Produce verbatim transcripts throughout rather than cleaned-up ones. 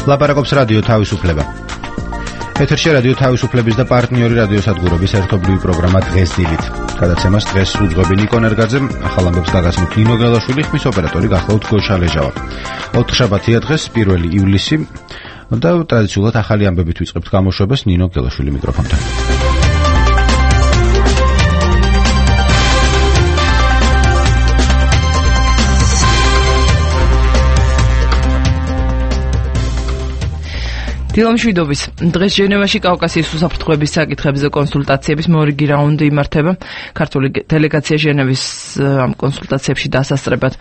ლაპარაკობს რადიო თავისუფლება. ეთერში რადიო თავისუფლების და პარტნიორი რადიოსადგურების ერთობლივი პროგრამა დღეს დილით. გადაცემას დღეს უძღვები ნიკო ნერგაძე, ახალ ამბებს გაგაცნობთ ნინო გელაშვილი, ხმის ოპერატორი გახლავთ გოშა ლეჟავა. ოთხშაბათია დღეს, პირველი ივლისი და ტრადიციულად ახალი ამბებით ვიწყებთ გამოშვებას ნინო გელაშვილი მიკროფონთან. დილამშვიდობის. დღეს ჟენევაში კავკასიის უსაფრთხოების საკითხებზე კონსულტაციების მორიგი რაუნდი იმართება. ქართული დელეგაცია ჟენევის ამ კონსულტაციებში დასასწრებად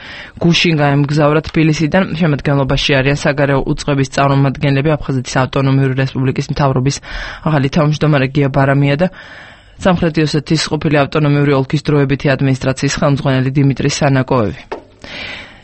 გუშინ გაემგზავრა თბილისიდან. შემადგენლობაში არიან საგარეო უწყების წარმომადგენლები, აფხაზეთის ავტონომიური რესპუბლიკის მთავრობის ახალი თავმჯდომარე გია ბარამია და სამხრეთი ოსეთის ყოფილი ავტონომიური ოლქის დროებითი ადმინისტრაციის ხელმძღვანელი დიმიტრი სანაკოევი.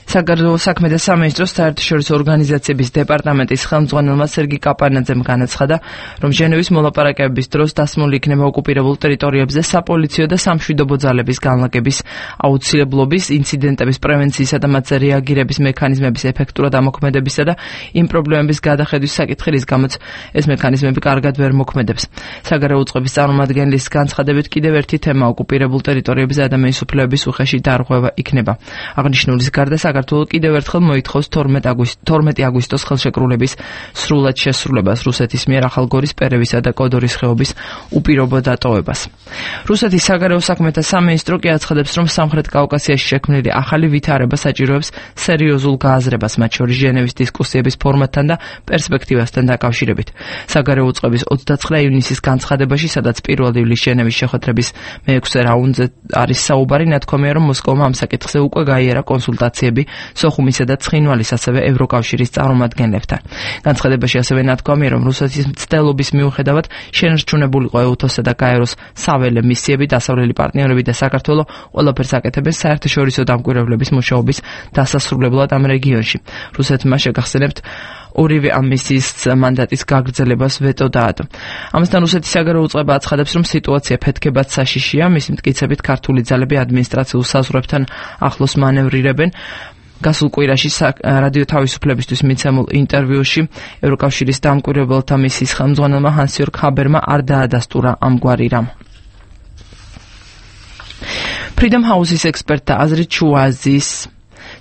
საგარეო საქმე და სამინისტროს საერთაშორისო ორგანიზაციების დეპარტამენტის ხელმძღვანელმა სერგი კაპანაძემ განაცხადა, რომ ჟენევის მოლაპარაკებების დროს დასმული იქნება ოკუპირებულ ტერიტორიებზე საპოლიციო და სამშვიდობო ძალების განლაგების აუცილებლობის, ინციდენტების პრევენციისა და მათზე რეაგირების მექანიზმების ეფექტურად ამოქმედებისა და იმ პრობლემების გადახედვის საკითხი, რის გამოც ეს მექანიზმები კარგად ვერ მოქმედებს. საგარეო უწყების წარმომადგენლის განცხადებით კიდევ ერთი თემა ოკუპირებულ ტერიტორიებზე ადამიანის უფლებების უხეში დარღვევა იქნება. აღნიშნულის გარდა საქართველო კიდევ ერთხელ მოითხოვს თორმეტი აგვისტოს ხელშეკრულების სრულად შესრულებას, რუსეთის მიერ ახალგორის, პერევისა და კოდორის ხეობის უპირობო დატოვებას. რუსეთის საგარეო საქმეთა სამინისტრო კი აცხადებს, რომ სამხრეთ კავკასიაში შექმნილი ახალი ვითარება საჭიროებს სერიოზულ გააზრებას, მათ შორის ჟენევის დისკუსიების ფორმატთან და პერსპექტივასთან დაკავშირებით. საგარეო უწყების ოცდაცხრა ივნისის განცხადებაში, სადაც პირველ ივლისს ჟენევის შეხვედრების მეექვსე რაუნდზე არის საუბარი, ნათქვამია, რომ მოსკოვმა ამ საკითხზე უკვე გაიარა კონსულტაციები სოხუმისა და ცხინვალის, ასევე ევროკავშირის წარმომადგენლებთან. განცხადებაში ასევე ნათქვამია, რომ რუსეთის მცდელობის მიუხედავად შენარჩუნებულიყო ეუთოს და გაეროს საველე მისიები, დასავლელი პარტნიორები და საქართველო ყველაფერს აკეთებენ საერთაშორისო დამკვირვებლების მუშაობის დასასრულებლად ამ რეგიონში. რუსეთმა შეგახსენებთ ორივე ამ მისიის მანდატის გაგრძელებას ვეტო დაადო. ამასთან რუსეთის საგარეო უწყება აცხადებს, რომ სიტუაცია ფეთქებად საშიშია, მის მტკიცებით ქართული ძალები ადმინისტრაციულ საზღვრებთან ახლოს მანევრირებენ. გასულ კვირაში რადიო თავისუფლებისთვის მიცემულ ინტერვიუში ევროკავშირის დამკვირვებელთა მისიის ხელმძღვანელმა ჰანს-იორგ ჰაბერმა არ დაადასტურა ამგვარი რამ. Freedom House-ის ექსპერტთა აზრით შუა აზიის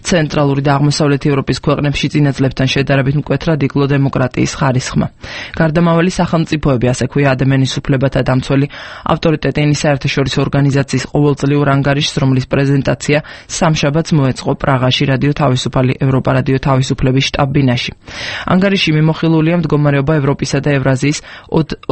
ცენტრალური და აღმოსავლეთი ევროპის ქვეყნებში წინაწლებთან შედარებით მკვეთრად იკლო დემოკრატიის ხარისხმა. გარდამავალი სახელმწიფოები, ასე ქვია ადამიანის უფლებათა დამცველი ავტორიტეტიანი საერთაშორისო ორგანიზაციის ყოველწლიურ ანგარიშს, რომლის პრეზენტაცია სამშაბათს მოეწყო პრაღაში რადიო თავისუფალი ევროპა რადიო თავისუფლების შტაბ-ბინაში. ანგარიში მიმოხილულია მდგომარეობა ევროპისა და ევრაზიის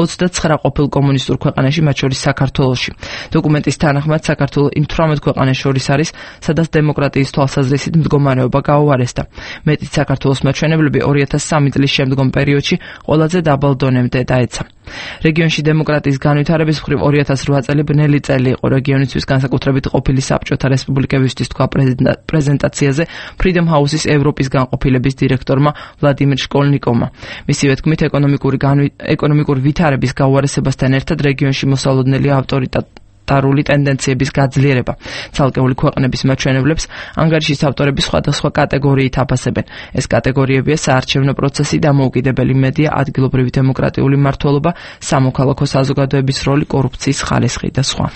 ოცდაცხრა ყოფილ კომუნისტურ ქვეყანაში, მათ შორის საქართველოში. დოკუმენტის თანახმად საქართველო იმ თვრამეტ ქვეყანას შორის არის, სადაც დემოკრატიის თვალსაზრისით მდგომარეობა გაუარესდა. მეტიც საქართველოს მაჩვენებლები ორი ათას სამი წლის შემდგომ პერიოდში ყველაზე დაბალ დონემდე დაეცა. რეგიონში დემოკრატიის განვითარების მხრივ ორი ათას რვა წელი ბნელი წელი იყო რეგიონისთვის, განსაკუთრებით ყოფილი საბჭოთა რესპუბლიკებისთვის, თქვა პრეზენტაციაზე Freedom House-ის ევროპის განყოფილების დირექტორმა ვლადიმირ შკოლნიკოვმა. მისივე თქმით, ეკონომიკური ვითარების გაუარესებასთან ერთად რეგიონში მოსალოდნელი ავტორიტეტი ტარული ტენდენციების გაძლიერება. ცალკეული ქვეყნების მაჩვენებლებს ანგარიშის ავტორები სხვადასხვა კატეგორიით აფასებენ. ეს კატეგორიებია საარჩევნო პროცესი, დამოუკიდებელი მედია, ადგილობრივი დემოკრატიული მმართველობა, სამოქალაქო საზოგადოების როლი, კორუფციის ხარისხი და სხვა.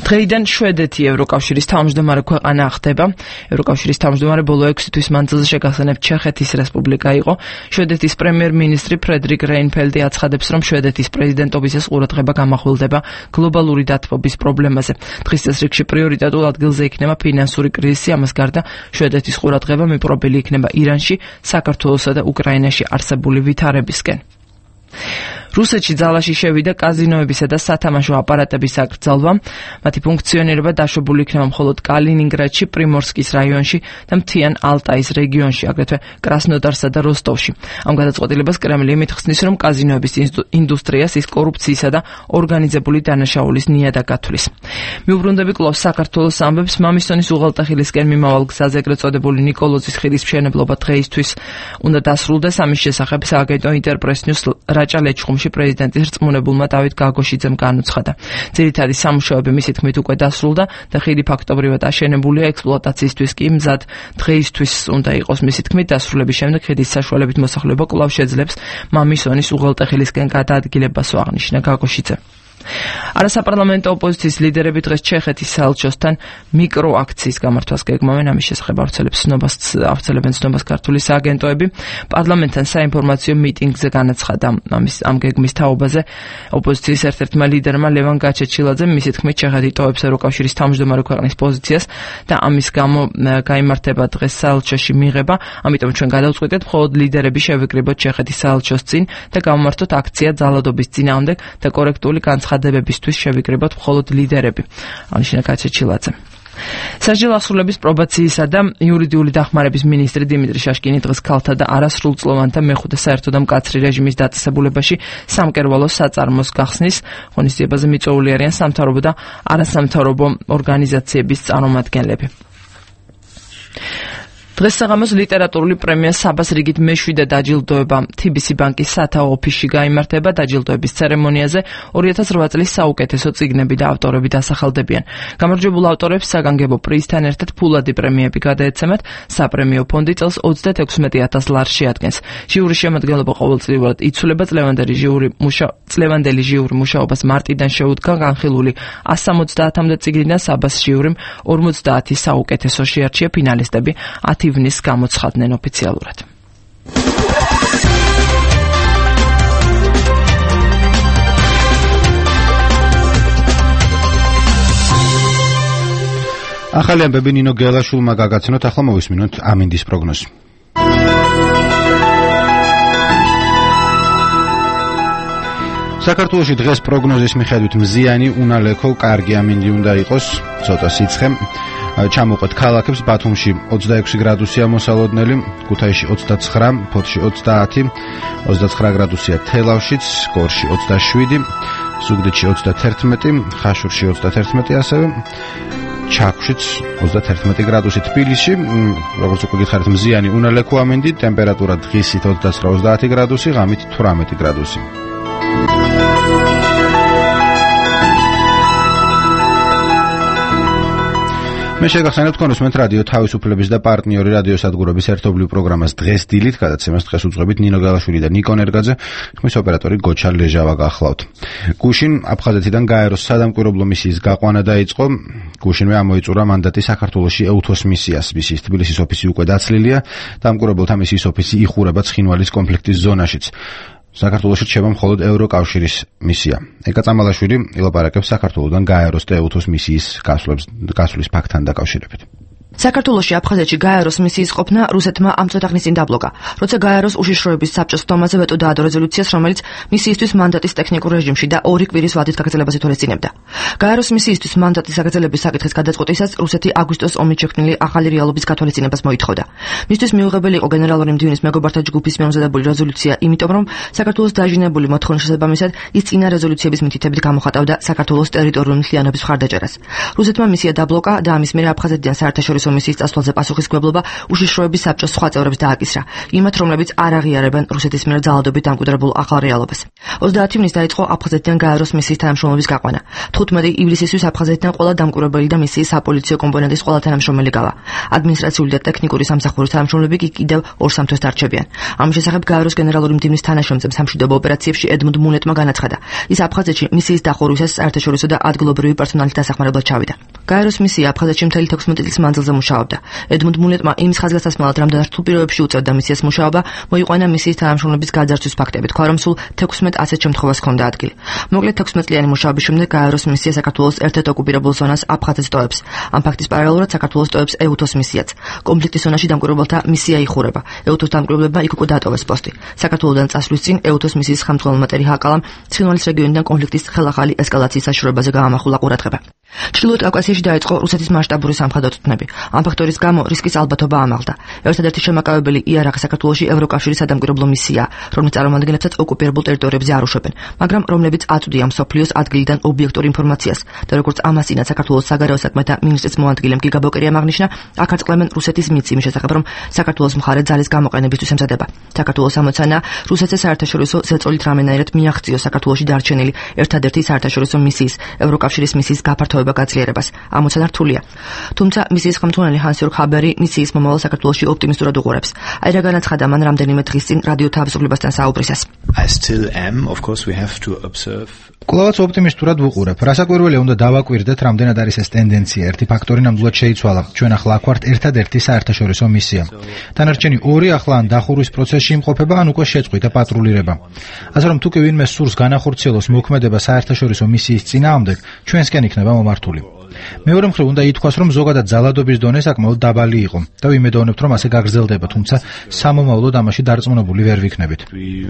დღეიდან შვედეთი ევროკავშირის თავმჯდომარე ქვეყანა ხდება. ევროკავშირის თავმჯდომარე ბოლო ექვსი თვის მანძილზე შეგახსენებთ ჩეხეთის რესპუბლიკა იყო. შვედეთის პრემიერ-მინისტრი ფრედრიკ რეინფელდი აცხადებს, რომ შვედეთის პრეზიდენტობისას ყურადღება გამახვილდება გლობალური დათბობის პრობლემაზე. დღის წესრიგში პრიორიტეტულ ადგილზე იქნება ფინანსური კრიზისი, ამას გარდა შვედეთის ყურადღება მიპყრობილი იქნება ირანში, საქართველოსა და უკრაინაში არსებული ვითარებისკენ. რუსეთში ძალაში შევიდა კაზინოებისა და სათამაშო აპარატების აკრძალვა. მათი ფუნქციონირება დაშვებული იქნება მხოლოდ კალინინგრადში, პრიმორსკის რაიონში და მთიან ალტაის რეგიონში, აგრეთვე კრასნოდარსა და როსტოვში. ამ გადაწყვეტილებას კრემლი მითხსნის, რომ კაზინოების ინდუსტრიას ის კორუფციისა და ორგანიზებული დანაშაულის ნიადაგ ათვლის. მიუბრუნდები კვლავ საქართველოს ამბებს, მამისონის უღელტეხილისკენ მიმავალ გზაზე ეგრეთ წოდებული ნიკოლოზის ხიდის მშენებლობა დღეისთვის უნდა დასრულდეს. ამის შესახებ სააგენტო ინტერპრეს ნიუს რაჭა ლეჩხუმში საქართველოში პრეზიდენტის რწმუნებულმა დავით გაგოშიძემ განუცხადა. ძირითადი სამუშაოები მისი თქმით უკვე დასრულდა და ხიდი ფაქტობრივად აშენებულია, ექსპლუატაციისთვის კი მზად დღეისთვის უნდა იყოს. მისი თქმით, დასრულების შემდეგ ხიდის საშუალებით მოსახლეობა კვლავ შეძლებს მამისონის უღელტეხილისკენ გადაადგილებას, აღნიშნა გაგოშიძემ. არასაპარლამენტო ოპოზიციის ლიდერები დღეს ჩეხეთის საელჩოსთან მიკროაქციის გამართვას გეგმავენ. ამის შესახებ ავრცელებენ ცნობას ქართული სააგენტოები. პარლამენტთან საინფორმაციო მიტინგზე განაცხადა ამის ამ გეგმის თაობაზე ოპოზიციის ერთ-ერთმა ლიდერმა ლევან გაჩეჩილაძემ. მისი თქმით, ჩეხეთი ტოვებს ევროკავშირის თავმჯდომარე ქვეყნის პოზიციას და ამის გამო გაიმართება დღეს საელჩოში მიღება. ამიტომ ჩვენ გადავწყვიტეთ მხოლოდ ლიდერები შევიკრიბოთ ჩეხეთის საელჩოს წინ და გავმართოთ აქცია ძალადობის წინააღმდეგ და კორექტული განცხადებებისთვის შევიკრიბოთ მხოლოდ ლიდერები, აღნიშნა გაჩეჩილაძემ. სასჯელ ასრულების პრობაციისა და იურიდიული დახმარების მინისტრი დიმიტრი შაშკინი დღეს ქალთა და არასრულწლოვანთა მეხუთე საერთო და მკაცრი რეჟიმის დაწესებულებაში სამკერვალო საწარმოს გახსნის ღონისძიებაზე მიწვეული არიან სამთავრობო და არასამთავრობო ორგანიზაციების წარმომადგენლები. დღეს საღამოს ლიტერატურული პრემია საბას რიგით მეშვიდე დაჯილდოება თიბისი ბანკის სათაო ოფისში გაიმართება. დაჯილდოების ცერემონიაზე ორი ათას რვა წლის საუკეთესო წიგნები და ავტორები დასახელდებიან. გამარჯვებულ ავტორებს საგანგებო პრიზთან ერთად ფულადი პრემიები გადაეცემათ. საპრემიო ფონდი წელს ოცდაექვსმეტი ათას ლარს შეადგენს. ჟიურის შემადგენლობა ყოველწლიურად იცვლება. წლევანდელი ჟიური მუშა წლევანდელი ჟიური მუშაობას მარტიდან შეუდგა. განხილული ასი სამოცდაათამდე წიგნიდან საბას ჟიურიმ ორმოცდაათი საუკეთესო შეარჩია. ფინალისტები ათი ივნის გამოცხადდნენ ოფიციალურად. ახალი ამბები ნინო გელაშვილმა გაგაცნოთ, ახლა მოვისმინოთ ამინდის პროგნოზი. საქართველოში დღეს პროგნოზის მიხედვით მზიანი, უნალექო, კარგი ამინდი უნდა იყოს, ცოტა სიცხე. ჩამოყვეთ ქალაქებს. ბათუმში ოცდაექვსი გრადუსია მოსალოდნელი, ქუთაისში ოცდაცხრა, ფოთში ოცდაათი, ოცდაცხრა გრადუსია თელავშიც, გორში ოცდაშვიდი, ზუგდიდში ოცდათერთმეტი, ხაშურში ოცდათერთმეტი ასევე, ჩაქვშიც ოცდათერთმეტი გრადუსი. თბილისში, როგორც უკვე გითხარით, მზიანი, უნალექო ამინდი, ტემპერატურა დღისით ოცდაცხრა ოცდაათი გრადუსი, ღამით თვრამეტი გრადუსი. მე შეგახსენებ თქვენ უსმენთ რადიო თავისუფლების და პარტნიორი რადიოსადგურების ერთობლივ პროგრამას დღეს დილით, გადაცემას დღეს უძღვებით ნინო გელაშვილი და ნიკო ნერგაძე, ხმის ოპერატორი გოჩა ლეჟავა გახლავთ. გუშინ აფხაზეთიდან გაეროს სადამკვირვებლო მისიის გაყვანა დაიწყო. გუშინვე ამოიწურა მანდატი საქართველოში ეუთოს მისიას. მისიის თბილისის ოფისი უკვე დაცლილია, დამკვირვებელთა მისიის ოფისი იხურება ცხინვალის კონფლიქტის ზონაშიც. საქართველოში რჩება მხოლოდ ევროკავშირის მისია. ეკა წამალაშვილი ილაპარაკებს საქართველოდან გაეროს და ეუთოს მისიის გასვლის ფაქტთან დაკავშირებით. საქართველოში აფხაზეთში გაეროს მისიის ყოფნა რუსეთმა ამ წუთაღნის წინ დაბლოკა, როცა გაეროს უშიშროების საბჭოს თომაზე ვეტო დაადო რეზოლუციას, რომელიც მისიისთვის მანდატის ტექნიკურ რეჟიმში და ორი კვირის ვადით გაგრძელებას ითვალისწინებდა. გაეროს მისიისთვის მანდატის გაგრძელების საკითხის გადაწყვეტისას რუსეთი აგვისტოს ომით შექმნილი ახალი რეალობის გათვალისწინებას მოითხოვდა. მისთვის მიუღებელი იყო გენერალური მდივნის მეგობართა ჯგუფის მიამზადებული რეზოლუცია, იმიტომ რომ საქართველოს დაჟინებული მოთხოვნის შესაბამისად ის წინა რეზოლუციების მითითებით გამოხატავდა საქართველოს ტერიტორიული მთლიანობის მხარდაჭერას. რუსეთმა მისია დაბლოკა და ამის მერე აფხაზეთიდან საერთაშორისო მისიის წასვლაზე პასუხისმგებლობა უშიშროების საბჭოს სხვა წევრებს დააკისრა, იმათ რომლებიც არ აღიარებენ რუსეთის მიერ ძალადობით დამკვიდრებულ ახალ რეალობას. ოცდაათი ივნის დაიწყო აფხაზეთიდან გაეროს მისიის თანამშრომლობის გაყვანა. თხუთმეტი ივლისისთვის აფხაზეთიდან ყველა დამკვირვებელი და მისიის საპოლიციო კომპონენტის ყველა თანამშრომელი გავა. ადმინისტრაციული და ტექნიკური სამსახურის თანამშრომლები კი კიდევ ორ სამთვეს დარჩებიან. ამის შესახებ გაეროს გენერალური მდივნის თანაშემწემ სამშვიდობო ოპერაციებში ედმუნდ მუნეტმა განაცხადა. ის აფხაზეთში მისიის დახურვისას საერთაშორისო და ადგილობრივი პერსონალის დასახმარებლად ჩავიდა. გაეროს მისია აფხაზეთში მთელი თექვსმეტი წლის მანძილზე მუშაობდა. ედმუნდ მუნეტმა იმის ხაზგასასმალად რამდენად რთულ პირობებში უწევდა მისიას მუშაობა, მოიყვანა მისიის თანამშრომლების გაძარცვის ფაქტები, თქვა რომ სულ თექვსმეტ ასეთ შემთხვევას ჰქონდა ადგილი. მოკლედ თექვსმეტ წლიანი მუშაობის შემდეგ გაეროს მისია საქართველოს ერთ-ერთ ოკუპირებულ ზონას აფხაზეთს ტოვებს. ამ ფაქტის პარალელურად საქართველოს ტოვებს ეუთოს მისიაც. კონფლიქტის ზონაში დამკვირვებელთა მისია იხურება. ეუთოს დამკვირვებლებმა იქ უკვე დატოვეს პოსტი. საქართველოდან წასვლის წინ ეუთოს მისიის ხელმძღვანელმა ტერი ჰაკალამ ცხინვალის რეგიონიდან კონფლიქტის ხელახალი ესკალაციის საშუალებაზე გაამახვილა ყურადღება. ჩრდილოეთ კავკასიაში საქართველოში დაიწყო რუსეთის მასშტაბური სამხედრო წვრთნები. ამ ფაქტორის გამო რისკის ალბათობა ამაღლდა. ერთადერთი შემაკავებელი იარაღი საქართველოში ევროკავშირის სადამკვირვებლო მისიაა, რომლის წარმომადგენლებსაც ოკუპირებულ ტერიტორიებზე არ უშვებენ, მაგრამ რომლებიც აწვდიან მსოფლიოს ადგილიდან ობიექტურ ინფორმაციას და როგორც ამასინაც საქართველოს საგარეო საქმეთა მინისტრის მოადგილემ გიგა ბოკერიამ აღნიშნა, აქ აწყლემენ რუსეთის მიცემის შესახებ, რომ საქართველოს მხარე ძალის გამოყენებისთვის ემზადება. საქართველოს ამოცანა რუსეთს საერთაშორისო ზეწოლით რამენაირად მიაღწიოს საქართველოში დარჩენილი ერთადერთი საერთაშორისო მისიის ევროკავშირის მისიის გაფართოება გაძლიერებას. ამოცანა რთულია. თუმცა მისიის ხელმძღვანელი ჰანსიორგ ჰაბერი მისიის მომავალ საქართველოში ოპტიმისტურად უყურებს. აი რა განაცხადა მან რამდენიმე დღის წინ რადიო თავისუფლებასთან საუბრისას. I still am, of course we have to observe. კვლავაც ოპტიმისტურად ვუყურებ. რასაკვირველია უნდა დავაკვირდეთ, რამდენად არის ეს ტენდენცია. ერთი ფაქტორი ნამდვილად შეიცვალა. ჩვენ ახლა აქ ვართ ერთადერთი საერთაშორისო მისია. დანარჩენი ორი ახლა ან დახურვის პროცესში იმყოფება, ან უკვე შეწყვიტა პატრულირება. ასე რომ თუ კი ვინმე სურს განახორციელოს მოქმედება საერთაშორისო მისიის წინააღმდეგ, ჩვენსკენ იქნება მომართული. მეორე მხრივ უნდა ითქვას, რომ ზოგადად ძალადობის დონე საკმაოდ დაბალი იყო და ვიმედოვნებთ, რომ ასე გაგრძელდება, თუმცა სამომავლოდ ამაში დარწმუნებული ვერ ვიქნებით.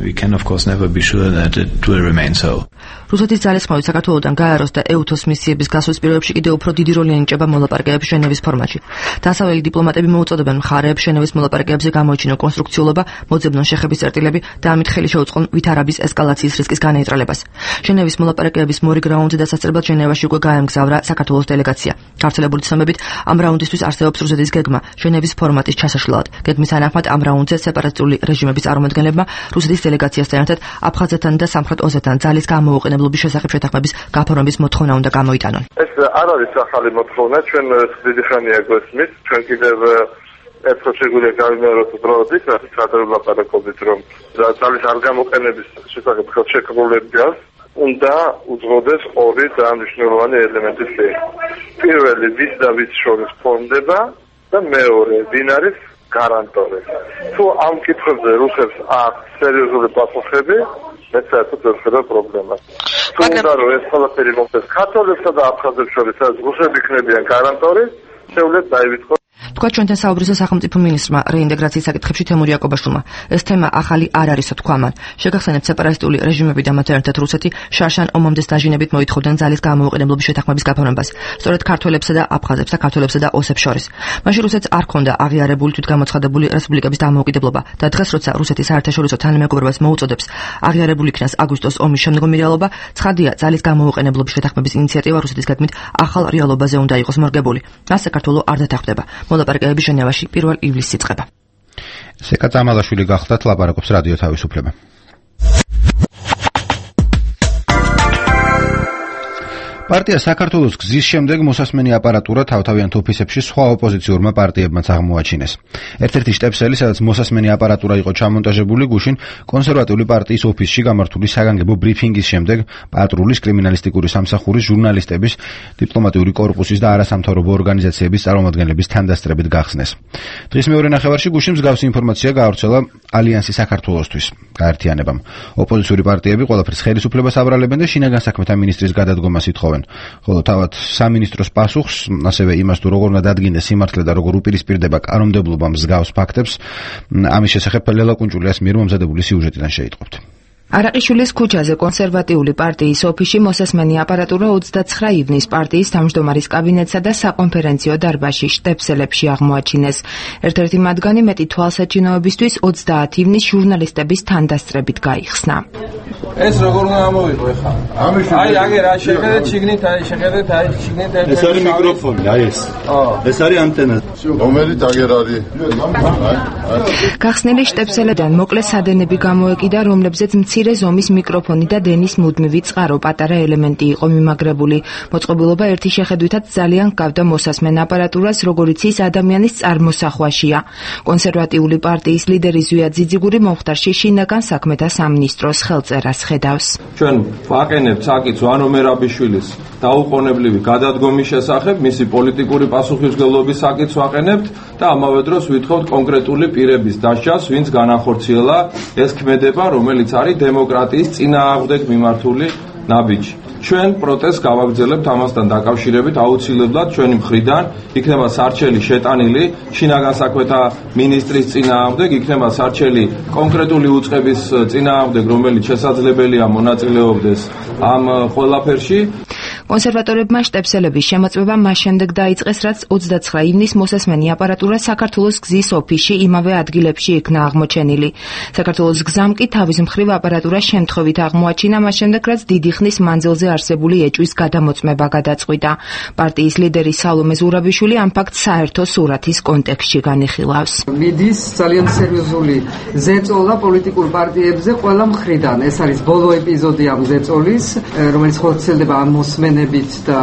We can of course never be sure that it will remain so. რუსეთის ძალისხმევით საქართველოდან გაეროს და ეუთოს მისიების გასვლის პირობებში კიდევ უფრო დიდი როლი ენიჭება მოლაპარაკებების ჟენევის ფორმატში. დასავლელი დიპლომატები მოუწოდებენ მხარეებს ჟენევის მოლაპარაკებებზე გამოიჩინონ კონსტრუქციულობა, მოძებნონ შეხების წერტილები და ამით ხელი შეუწყონ ვითარების ესკალაციის რისკის განეიტრალებას. ჟენევის მოლაპარაკებების მორიგ რაუნდზე დასასწრებლად ჟენევაში უკვე გაემგზავრა საქართველოს დელეგაცია. გავრცელებული ცნობებით, ამ რაუნდისთვის არსებობს რუსეთის გეგმა ჟენევის ფორმატის ჩასაშლელად. გეგმის თანახმად ამ რაუნდზე სეპარატისტული რეჟიმების წარმომადგენლებმა რუსეთის დელეგაციასთან ერთად აფხაზეთთან და სამხრეთ ოზეთთან ძალის გამოუყენებლობის შესახებ შეთანხმების გაფორმების მოთხოვნა უნდა გამოიტანონ. ეს არ არის ახალი მოთხოვნა, ჩვენ დიდი ხანია გვესმის, ჩვენ კიდევ ერთხელ შეგვიძლია გავიმეოროთ უბრალოდ, რასაც გადავლაპარაკობთ, რომ ძალის არ გამოყენების შესახებ ხელშეკრულებებს უნდა უძღოდეს ორი ძალიან მნიშვნელოვანი ელემენტი. პირველი, ვის და ვის შორის ფორმდება და მეორე, ვინ არის გარანტორი. თუ ამ კითხვებზე რუსებს აქვს სერიოზული პასუხები, მე საერთოდ ვერ ხედავ პრობლემას. თუ უნდა რომ ეს ყველაფერი მოხდეს ქართველებსა და აფხაზებს შორის, სადაც რუსები იქნებიან გარანტორი, შეუძლეთ დაივიწყოთ. თქვა ჩვენთან საუბრისო სახელმწიფო მინისტრმა რეინტეგრაციის საკითხებში თემური იაკობაშვილმა. ეს თემა ახალი არ არისო თქვა მან. შეგახსენებთ სეპარატისტული რეჟიმები და მათ ერთად რუსეთი შარშან ომამდეს დაჟინებით მოითხოვდნენ ძალის გამოუყენებლობის შეთანხმების გაფორმებას. სწორედ ქართველებსა და აფხაზებს და ქართველებსა და ოსებს შორის. მაშინ რუსეთს არ ჰქონდა აღიარებული თვითგამოცხადებული რესპუბლიკების დამოუკიდებლობა და დღეს როცა რუსეთი საერთაშორისო თანამეგობრობას მოუწოდებს აღიარებული იქნას აგვისტოს ომის შემდგომი რეალობა, ცხადია ძალის გამოუყენებლობის შეთანხმების ინიციატივა რუსეთის გეგმით ახალ რეალობაზე უნდა იყოს მორგებული. მას საქართველო არ დათანხმდება. მოლაპარაკებები ჟენევაში პირველ ივლისს იწყება. სეკა წამალაშვილი გახდათ, ლაპარაკობს რადიო თავისუფლება. პარტია საქართველოს გზის შემდეგ მოსასმენი აპარატურა თავთავიანთ ოფისებში სხვა ოპოზიციურმა პარტიებმაც აღმოაჩინეს. ერთ-ერთი შტეფსელი, სადაც მოსასმენი აპარატურა იყო ჩამონტაჟებული, გუშინ კონსერვატიული პარტიის ოფისში გამართული საგანგებო ბრიფინგის შემდეგ პატრულის, კრიმინალისტიკური სამსახურის, ჟურნალისტების, დიპლომატიური კორპუსის და არასამთავრობო ორგანიზაციების წარმომადგენლების თანდასწრებით გახსნეს. დღის მეორე ნახევარში გუშინ მსგავსი ინფორმაცია გაავრცელა ალიანსი საქართველოსთვის გაერთიანებამ. ოპოზიციური პარტიები ყველაფერს ხელისუფლებას აბრალებენ და შინაგან საქმეთა მინისტრის გადადგომას ითხოვენ. ხოლო თავად სამინისტროს პასუხს, ასევე იმას თუ როგორ უნდა დადგინდეს სიმართლე და როგორ უპირისპირდება კანონმდებლობა მსგავს ფაქტებს, ამის შესახებ ლელა კუნჭულიას მიერ მომზადებული სიუჟეტიდან შეიტყობთ. არაყიშვილის ქუჩაზე კონსერვატიული პარტიის ოფისში მოსასმენი აპარატურა ოცდაცხრა ივნის პარტიის თავმჯდომარის კაბინეტსა და საკონფერენციო დარბაზში შტეფსელებში აღმოაჩინეს. ერთ-ერთი მათგანი მეტი თვალსაჩინოებისთვის ოცდაათი ივნის ჟურნალისტების თანდასწრებით გაიხსნა. ეს როგორ უნდა ამოვიყო ხა? აი აგერ რა შეხედეთ შიგნით, აი შეხედეთ, აი შიგნით ეს ეს არის მიკროფონი, აი ეს. ეს არის ანტენა. რომელიც აგერ არის. გახსნილი შტეფსელებიდან მოკლე სადენები გამოეკიდა, რომლებზეც მცირე ზომის მიკროფონი და დენის მუდმივი წყარო პატარა ელემენტი იყო მიმაგრებული. მოწყობილობა ერთი შეხედვითაც ძალიან გავდა მოსასმენ აპარატურას, როგორიც ის ადამიანის წარმოსახვაშია. კონსერვატიული პარტიის ლიდერი ზვია ძიძიგური მომხდარში შინაგან საქმეთა სამინისტროს ხელწერას ხედავს. ჩვენ ვაყენებთ საკითხს ვანო მერაბიშვილის დაუყოვნებლივი გადადგომის შესახებ, მისი პოლიტიკური პასუხისმგებლობის საკითხს ვაყენებთ და ამავე დროს ვითხოვთ კონკრეტული პირების დასჯას, ვინც განახორციელა ეს ქმედება, რომელიც არის დემოკრატიის წინააღმდეგ მიმართული ნაბიჯი. ჩვენ პროტესტს გავაგრძელებთ ამასთან დაკავშირებით, აუცილებლად ჩვენი მხრიდან იქნება სარჩელი შეტანილი შინაგან საქმეთა მინისტრის წინააღმდეგ, იქნება სარჩელი კონკრეტული უწყების წინააღმდეგ, რომელიც შესაძლებელია მონაწილეობდეს ამ ყველაფერში. კონსერვატორებმა შტებსელების შემოწმება მას შემდეგ დაიწყეს, რაც ოცდაცხრა ივნისს მოსასმენი აპარატურა საქართველოს გზის ოფისში იმავე ადგილებში იქნა აღმოჩენილი. საქართველოს გზამ კი თავის მხრივ აპარატურა შემთხვევით აღმოაჩინა მას შემდეგ, რაც დიდი ხნის მანძილზე არსებული ეჭვის გადამოწმება გადაწყვიტა. პარტიის ლიდერი სალომე ზურაბიშვილი ამ ფაქტს საერთო სურათის კონტექსტში განიხილავს. მიდის ძალიან სერიოზული ზეწოლა პოლიტიკურ პარტიებზე ყველა მხრიდან. ეს არის ბოლო ეპიზოდი ამ ზეწოლის, რომელიც ხორციელდება ამ მოსმენებით და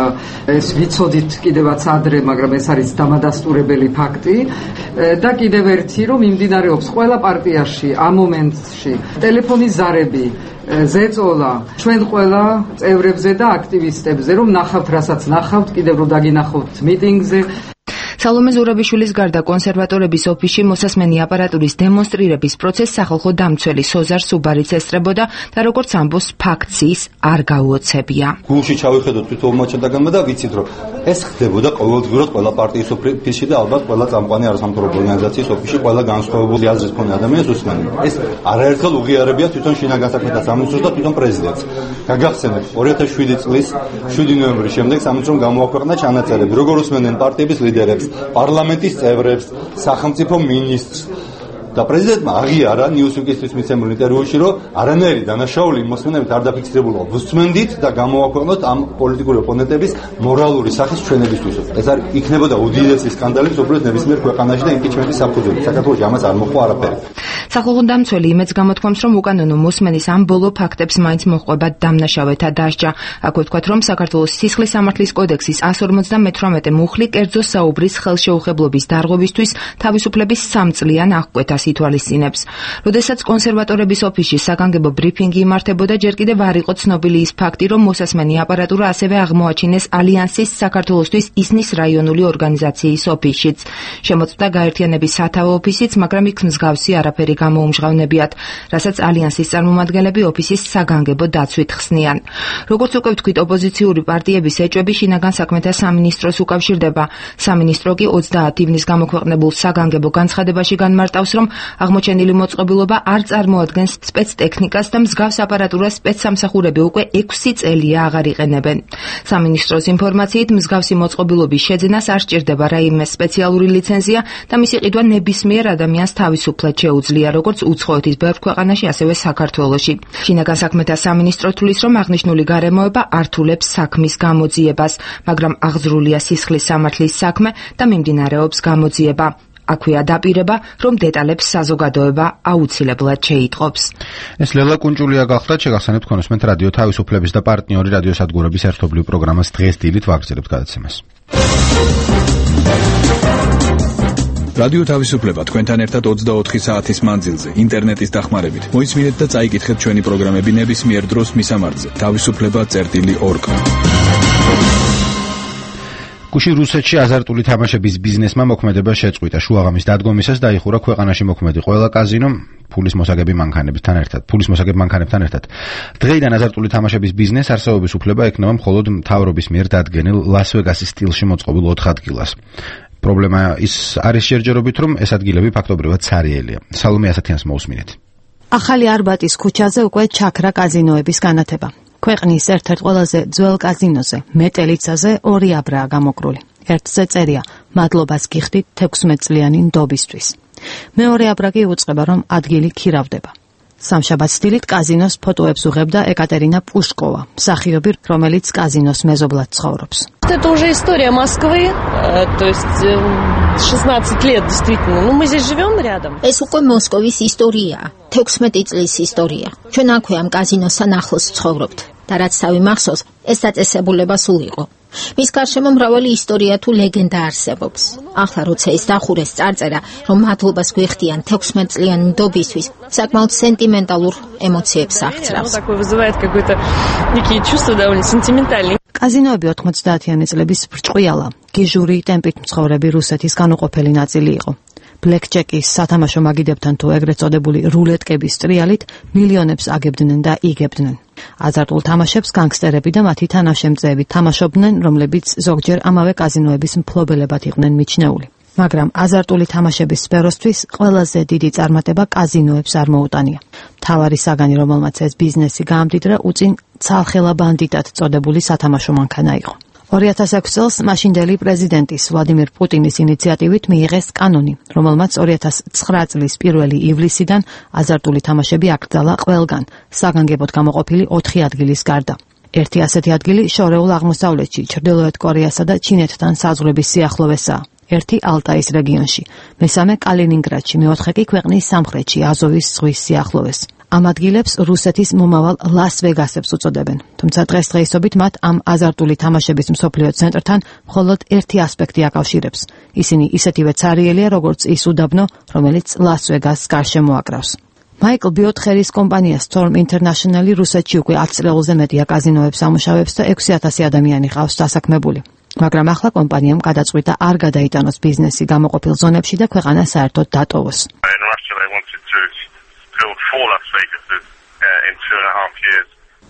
ეს ვიცოდით კიდევაც ადრე, მაგრამ ეს არის დამადასტურებელი ფაქტი და კიდევ ერთი რომ მიმდინარეობს ყველა პარტიაში ამ მომენტში ტელეფონის ზარები ზეწოლა ჩვენ ყველა წევრებზე და აქტივისტებზე რომ ნახავთ რასაც ნახავთ, კიდევ რომ დაგინახავთ მიტინგზე. სალომე ზურაბიშვილის გარდა კონსერვატორების ოფისში მოსასმენი აპარატურის დემონსტრირების პროცესს სახალხო დამცველი სოზარ სუბარიც ესწრებოდა და როგორც ამბობს ფაქტს ის არ გაუოცებია. გულში ჩავიხედოთ თვითმოჩადაგანმა და ვიცით რომ ეს ხდებოდა ყოველდღიურად ყველა პარტიის ოფისში და ალბათ ყველა წამყვანი არასამთავრობო ორგანიზაციის ოფისში ყველა განსხვავებული აზრის მქონე ადამიანს უსმენია. ეს არაერთხელ უღიარებია თვითონ შინაგან საქმეთა სამინისტროს და თვითონ პრეზიდენტს. გაგახსენებთ ორი ათას შვიდი წლის შვიდი ნოემბრის შემდეგ სამინისტრომ გამოაქვეყნა ჩანაწერები როგორ უსმენენ პარტიების ლიდერებს, პარლამენტის წევრებს, სახელმწიფო მინისტრს და პრეზიდენტმა აღიარა ნიუსვიკისთვის მიცემულ ინტერვიუში, რომ არანაირი დანაშაული მოსმენებით არ დაფიქსირებულა. ვუსმენდით და გამოვაქვეყნოთ ამ პოლიტიკური ოპონენტების მორალური სახის ჩვენებისთვის. ეს არის იქნებოდა უდიდესი სკანდალი უბრალოდ ნებისმიერ ქვეყანაში და იმპიჩმენტის საფუძველი. საქართველოში ამას არ მოხდა არაფერი. სახალხო დამცველი იმედს გამოთქვამს, რომ უკანონო მოსმენის ამ ბოლო ფაქტებს მაინც მოჰყვება დამნაშავეთა დასჯა. აქვე ვთქვათ, რომ საქართველოს სისხლის სამართლის კოდექსის εκατს ორმოცდამეთვრამეტე მუხლი კერძო საუბრის ხელშეუხებლობის დარღვევისთვის თავისუფლების სამწლიან აღკვეთას ითვალისწინებს. როდესაც კონსერვატორების ოფისში საგანგებო ბრიფინგი იმართებოდა, ჯერ კიდევ არ იყო ცნობილი ის ფაქტი, რომ მოსასმენი აპარატურა ასევე აღმოაჩინეს ალიანსის საქართველოსთვის ისნის რაიონული ორგანიზაციის ოფისშიც. შემოწმდა გაერთიანების სათავო ოფისიც, მაგრამ იქ მსგავსი არაფერი გამოუმჟღავნებიათ, რასაც ალიანსის წარმომადგენლები ოფისის საგანგებო დაცვით ხსნიან. როგორც უკვე ვთქვით, ოპოზიციური პარტიების ეჭვები შინაგან საქმეთა სამინისტროს უკავშირდება. სამინისტრო კი ოცდაათ ივნისს გამოქვეყნებულ საგანგებო განცხადებაში განმარტავს, რომ აღმოჩენილი მოწყობილობა არ წარმოადგენს სპეცტექნიკას და მსგავს აპარატურას სპეცსამსახურები უკვე ექვსი წელია აღარ იყენებენ. სამინისტროს ინფორმაციით მსგავსი მოწყობილობის შეძენას არ სჭირდება რაიმე სპეციალური ლიცენზია და მისი ყიდვა ნებისმიერ ადამიანს თავისუფლად შეუძლია, როგორც უცხოეთის ბევრ ქვეყანაში, ასევე საქართველოში. შინაგან საქმეთა სამინისტრო თვლის, რომ აღნიშნული გარემოება ართულებს საქმის გამოძიებას, მაგრამ აღძრულია სისხლის სამართლის საქმე და მიმდინარეობს გამოძიება. აქვეა დაპირება, რომ დეტალებს საზოგადოება აუცილებლად შეიტყობს. ეს ლელა კუნჭულია გახლდათ, შეგახსენებთ კონსმენტ რადიო თავისუფლების და პარტნიორი რადიოსადგურების ერთობლივ პროგრამას დღეს დილით ვაგრძელებთ გადაცემას. რადიო თავისუფლება თქვენთან ერთად ოცდაოთხი საათის მანძილზე ინტერნეტის დახმარებით. მოისმინეთ და წაიკითხეთ ჩვენი პროგრამები ნებისმიერ დროს მისამართზე თავისუფლება წერტილი ორგ. გუში რუსეთში აზარტული თამაშების ბიზნესმა მოქმედება შეწყვიტა. შუაღამის დადგომისას დაიხურა ქვეყანაში მოქმედი ყველა კაზინო ფულის მოსაგები მანქანებთან ერთად. ფულის მოსაგებ მანქანებთან ერთად. დღეიდან აზარტული თამაშების ბიზნეს არსებობის უფლება ექნება მხოლოდ მთავრობის მიერ დადგენილ ლას-ვეგასის სტილში მოწყობილ ოთხ ადგილას. პრობლემა ის არის შერჯერობით, რომ ეს ადგილები ფაქტობრივად ცარიელია. სალომე ასათიანს მოусმინეთ. ახალი არბატის ქუჩაზე უკვე ჩაქრა კაზინოების განათება. ქვეყნის ერთ-ერთ ყველაზე ძველ კაზინოზე, მეტელიცაზე ორი აბრაა გამოკრული. ერთზე წერია: მადლობას გიხდით თექვსმეტწლიანი ნდობისთვის. მეორე აბრა კი უწყება, რომ ადგილი ქირავდება. სამშაბათს დილით კაზინოს ფოტოებს უღებდა ეკატერინა პუშკოვა, მსახიობი, რომელიც კაზინოს მეზობლად ცხოვრობს. Это уже история Москвы, то есть шестнадцать лет действительно. Ну мы здесь живем рядом. ეს უკვე მოსკოვის ისტორიაა, თექვსმეტი წლის ისტორია. ჩვენ აქვე ამ კაზინოსთან ახლოს ცხოვრობთ და რაც თავი მახსოვს, ეს დაწესებულება სულ იყო. მის გარშემო მრავალი ისტორია თუ ლეგენდა არსებობს. ახლა როცა ის დახურეს წარწერა, რომ მადლობას გვიხდიან თექვსმეტწლიანი ნდობისთვის, საკმაოდ სენტიმენტალურ ემოციებს აღწევს. Такое вызывает какой-то некие чувства довольно сентиментальные. კაზინოები ოთხმოცდაათიანი წლების ბრჭყვიალა, გიჟური ტემპით მცხოვრები რუსეთის განუყოფელი ნაწილი იყო. ბლეკჯეკის სათამაშო მაგიდებთან თუ ეგრეთ წოდებული რულეტკების ტრიალით მილიონებს აგებდნენ და იგებდნენ. აზარტულ თამაშებს განგსტერები და მათი თანაშემწეები თამაშობდნენ, რომლებიც ზოგჯერ ამავე კაზინოების მფლობელებად იყვნენ მიჩნეული. მაგრამ აზარტული თამაშების სფეროსთვის ყველაზე დიდი წარმატება კაზინოებს არ მოუტანია. მთავარი საგანი, რომელმაც ეს ბიზნესი გაამდიდრა, უწინ ცალხელა ბანდიტად წოდებული სათამაშო მანქანა იყო. ორი ათას ექვსი წელს მაშინდელი პრეზიდენტის ვლადიმირ პუტინის ინიციატივით მიიღეს კანონი, რომელმაც ორი ათას ცხრა წლის პირველი ივლისიდან აზარტული თამაშები აკრძალა ყველგან, საგანგებოდ გამოყოფილი ოთხი ადგილის გარდა. ერთი ასეთი ადგილი შორეულ აღმოსავლეთში, ჩრდილოეთ კორეასა და ჩინეთთან საზღვრების სიახლოვესაა. ერთი ალტაის რეგიონში, მესამე კალინინგრადში, მეოთხე კი ქვეყნის სამხრეთში, აზოვის ზღვის სიახლოვეს. ამ ადგილებს რუსეთის მომავალ ლას-ვეგასებს უწოდებენ. თუმცა დღესდღეობით მათ ამ აზარტული თამაშების მსოფლიო ცენტრთან მხოლოდ ერთი ასპექტი აკავშირებს. ისინი ისეთივე ცარიელია, როგორც ის უდაბნო, რომელიც ლას-ვეგასს გარშემო აკრავს. მაიკლ ბიოთხერის კომპანია Storm International რუსეთში უკვე ათი წელზე მეტია კაზინოებს ამუშავებს და ექვსი ათასი ადამიანი ყავს დასაქმებული. მაგრამ ახლა კომპანიამ გადაწყვიტა არ გადაიტანოს ბიზნესი გამოყოფილ ზონებში და ქვეყანა საერთოდ დატოვოს.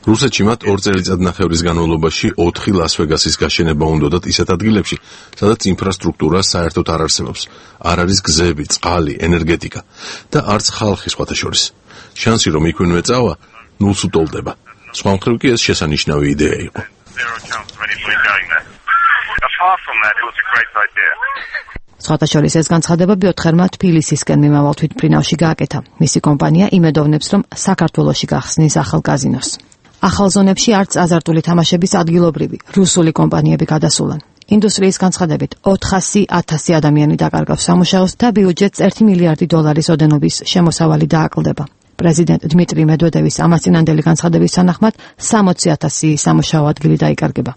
რუსეთში მათ ორ წელიწადნახევრის განმავლობაში ოთხი ლას-ვეგასის გაშენება უნდათ ისეთ ადგილებში, სადაც ინფრასტრუქტურა საერთოდ არ არსებობს. არ არის გზები, წყალი, ენერგეტიკა და არც ხალხი სხვათა შორის. შანსი რომ იქვე წავა, ნულს უტოლდება. სხვა მხრივ კი ეს შესანიშნავი იდეა იყო. სხვათა შორის ეს განცხადება ბიოთხერმა თბილისისკენ მიმავალ თვითმფრინავში გააკეთა. მისი კომპანია იმედოვნებს, რომ საქართველოში გახსნის ახალ კაზინოს. ახალ ზონებში არც აზარტული თამაშების ადგილობრივი რუსული კომპანიები გადასულან. ინდუსტრიის განცხადებით ოთხასი ათასი ადამიანი დაკარგავს სამუშაოს და ბიუჯეტს ერთი მილიარდი დოლარის ოდენობის შემოსავალი დააკლდება. პრეზიდენტ დმიტრი მედვედევის ამასწინანდელი განცხადების თანახმად სამოცი ათასი სამუშაო ადგილი დაიკარგება.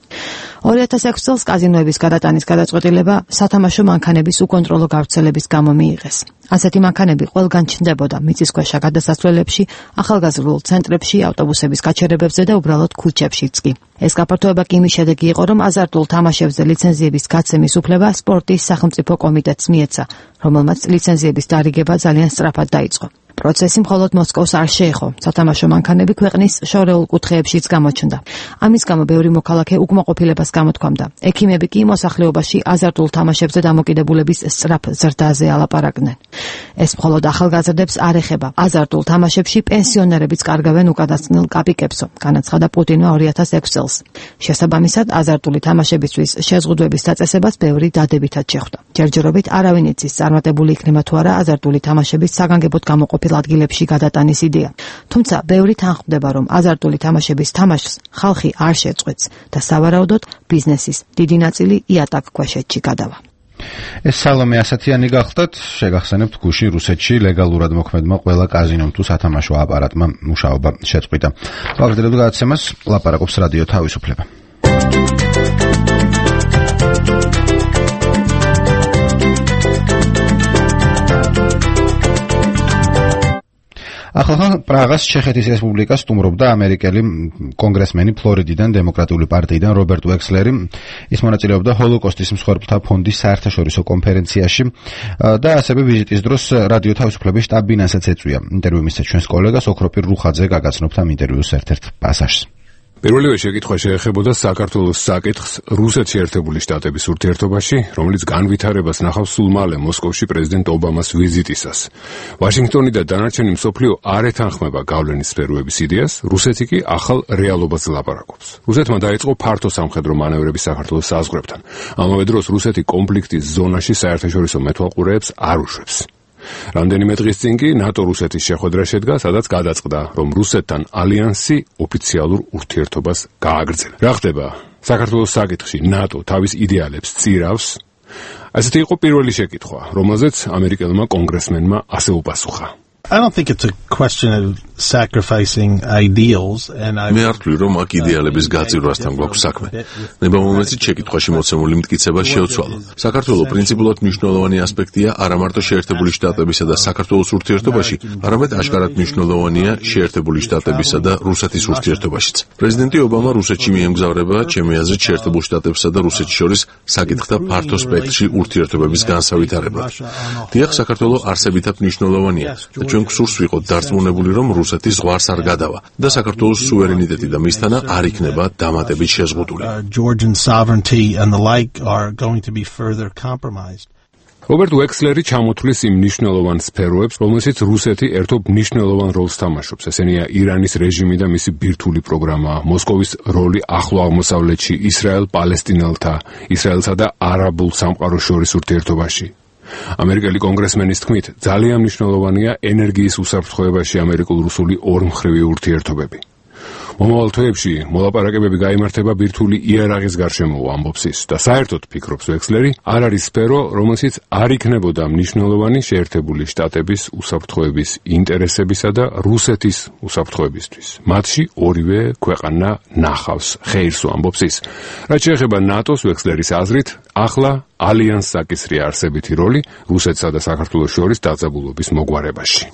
ორი ათას ექვსი წელს კაზინოების გადატანის გადაწყვეტილება სათამაშო მანქანების უკონტროლო გავრცელების გამო მიიღეს. ასეთი მანქანები ყველგან ჩნდებოდა მიწისქვეშა გადასასვლელებში, ახალგაზრდულ ცენტრებში, ავტობუსების გაჩერებებზე და უბრალოდ ქუჩებშიც კი. ეს გაფართოება კი იმის შედეგი იყო, რომ აზარტულ თამაშებზე ლიცენზიების გაცემის უფლება სპორტის სახელმწიფო კომიტეტს მიეცა, რომელმაც ლიცენზიების დარიგება ძალიან სწრაფად დაიწყო. პროცესი მხოლოდ მოსკოვს არ შეეხო. სათამაშო მანქანები ქვეყნის შორეულ კუთხეებშიც გამოჩნდა. ამის გამო ბევრი მოქალაქე უკმაყოფილებას გამოთქვამდა. ექიმები კი მოსახლეობაში აზარტულ თამაშებზე დამოკიდებულების სწრაფ ზრდაზე ალაპარაკდნენ. ეს მხოლოდ ახალგაზრდებს არ ეხება. აზარტულ თამაშებში პენსიონერებიც კარგავენ უკანასკნელ კაპიკებსო, განაცხადა პუტინმა ორი ათას ექვსი წელს. შესაბამისად, აზარტული თამაშებისთვის შეზღუდვების დაწესებას ბევრი დადებითად შეხვდა. ჯერჯერობით არავინ იცის წარმატებული იქნება თუ არა აზარტული თამაშების საგანგებოდ გამოყოფილება ადგილებში გადატანის იდეა. თუმცა ბევრი თანხმდება, რომ აზარტული თამაშების თამაშს ხალხი არ შეწყვეტს და სავარაუდოდ ბიზნესის დიდი ნაწილი იატაკ ქვეშეთში გადავა. ეს სალომე ასათიანი გახდათ, შეგახსენებთ გუშინ რუსეთში ლეგალურად მოქმედმა ყველა კაზინომ თუ სათამაშო აპარატმა მუშაობა შეწყვიტა. ვაგრძელებთ გადაცემას, ლაპარაკობს რადიო თავისუფლება. ახლა პრაღას ჩეხეთის რესპუბლიკა სტუმრობდა ამერიკელი კონგრესმენი ფლორიდიდან დემოკრატიული პარტიიდან რობერტ ვექსლერი. ის მონაწილეობდა ჰოლოკოსტის მსხვერპლთა ფონდის საერთაშორისო კონფერენციაში და ასევე ვიზიტის დროს რადიო თავისუფლების შტაბ-ბინასაც ეწვია. ინტერვიუ მისცა ჩვენს კოლეგას ოქროპირ რუხაძე, გაგაცნობთ ამ ინტერვიუს ერთ-ერთ პასაჟს. პირველივე შეკითხვა შეეხებოდა საქართველოს საკითხს რუსეთში ერთებული შტატების ურთიერთობაში, რომელიც განვითარებას ნახავს სულ მალე მოსკოვში პრეზიდენტ ობამას ვიზიტისას. ვაშინგტონი და დანარჩენი მსოფლიო არ ეთანხმება გავლენის სფეროების იდეას, რუსეთი კი ახალ რეალობას ლაპარაკობს. რუსეთმა დაიწყო ფართო სამხედრო მანევრები საქართველოს საზღვრებთან. ამავე დროს რუსეთი კონფლიქტის ზონაში საერთაშორისო მეთვალყურეებს არ უშვებს. რამდენიმე დღის წინ კი ნატო-რუსეთის შეხვედრა შედგა, სადაც გადაწყდა, რომ რუსეთთან ალიანსი ოფიციალურ ურთიერთობას გააგრძელებდა. რა ხდება? საქართველოს საკითხში ნატო თავის იდეალებს წირავს? ასეთი იყო პირველი შეკითხვა, რომელზეც ამერიკელმა კონგრესმენმა ასე უპასუხა. I don't think it's a question of sacrificing ideals and I მე არ ვთვლი რომ აქ იდეალების გაძირვასთან გვაქვს საქმე. ნებამომეცი შეკითხვაში მოცემული მტკიცება შეუცვალო. საქართველოს პრინციპულად მნიშვნელოვანი ასპექტია არა მარტო შეერთებული შტატებისა და საქართველოს ურთიერთობაში, არამედ აშკარად მნიშვნელოვანია შეერთებული შტატებისა და რუსეთის ურთიერთობაშიც. პრეზიდენტი ობამა რუსეთში მიემგზავრება, ჩემი აზრით, შეერთებულ შტატებსა და რუსეთს შორის საკითხთა ფართო სპექტრში ურთიერთობების განსავითარებლად. დიახ, საქართველოს არსებითად მნიშვნელოვანია. ჩვენ გვსურს ვიყოთ დარწმუნებული, რომ რუსეთი ზღვარს არ გადავა და საქართველოს სუვერენიტეტი და მისთანა არ იქნება დამატებით შეზღუდული. Georgian sovereignty and the like are going to be further compromised. რობერტ უექსლერი ჩამოთვლის იმ მნიშვნელოვან სფეროებს, რომელშიც რუსეთი ერთობ მნიშვნელოვან როლს თამაშობს. ესენია ირანის რეჟიმი და მისი ბირთვული პროგრამა, მოსკოვის როლი ახლო აღმოსავლეთში, ისრაელ-პალესტინელთა, ისრაელსა და არაბულ სამყაროს შორის ურთიერთობაში. ამერიკელი კონგრესმენის თქმით, ძალიან მნიშვნელოვანია ენერგიის უსაფრთხოებაში ამერიკულ-რუსული ორმხრივი ურთიერთობები. მომავალ თვეებში მოლაპარაკებები გაიმართება ბირთვული იარაღის გარშემო, ამბობს ის და საერთოდ ფიქრობს ვექსლერი, არ არის სფერო, რომელშიც არ იქნებოდა მნიშვნელოვანი შეერთებული შტატების უსაფრთხოების ინტერესებისა და რუსეთის უსაფრთხოებისთვის. მათში ორივე ქვეყანა ნახავს ხეირს, ამბობს ის. რაც შეეხება ნატოს, ვექსლერის აზრით, ახლა ალიანსს აკისრია არსებითი როლი რუსეთსა და საქართველოს შორის დაძაბულობის მოგვარებაში.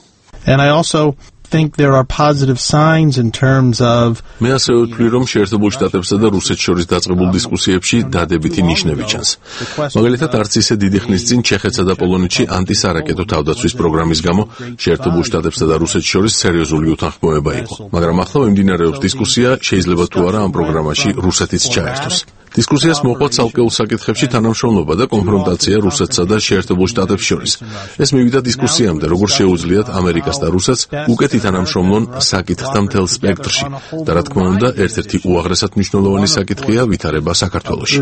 And I also think there are positive signs in terms of მე ასევე ვთვლი, რომ შეერთებულ შტატებსა და რუსეთს შორის დაწყებულ დისკუსიებში დადებითი ნიშნები ჩანს. მაგალითად, არც ისე დიდი ხნის წინ ჩეხეთსა და პოლონეთში ანტისარაკეტო თავდაცვის პროგრამის გამო შეერთებულ შტატებსა და რუსეთს შორის სერიოზული უთანხმოება იყო. მაგრამ ახლა მიმდინარეობს დისკუსია, შეიძლება თუ არა ამ პროგრამაში რუსეთიც ჩაერთოს. დისკუსიას მოყვა ცალკეულ საკითხებში თანამშრომლობა და კონფრონტაცია რუსეთსა და შეერთებულ შტატებს შორის. ეს მივიდა დისკუსიამდე, როგორ შეუძლიათ ამერიკას და რუსეთს უკეთ ითანამშრომლონ საკითხთა მთელ სპექტრში. და რა თქმა უნდა, ერთ-ერთი უაღრესად მნიშვნელოვანი საკითხია ვითარება საქართველოში.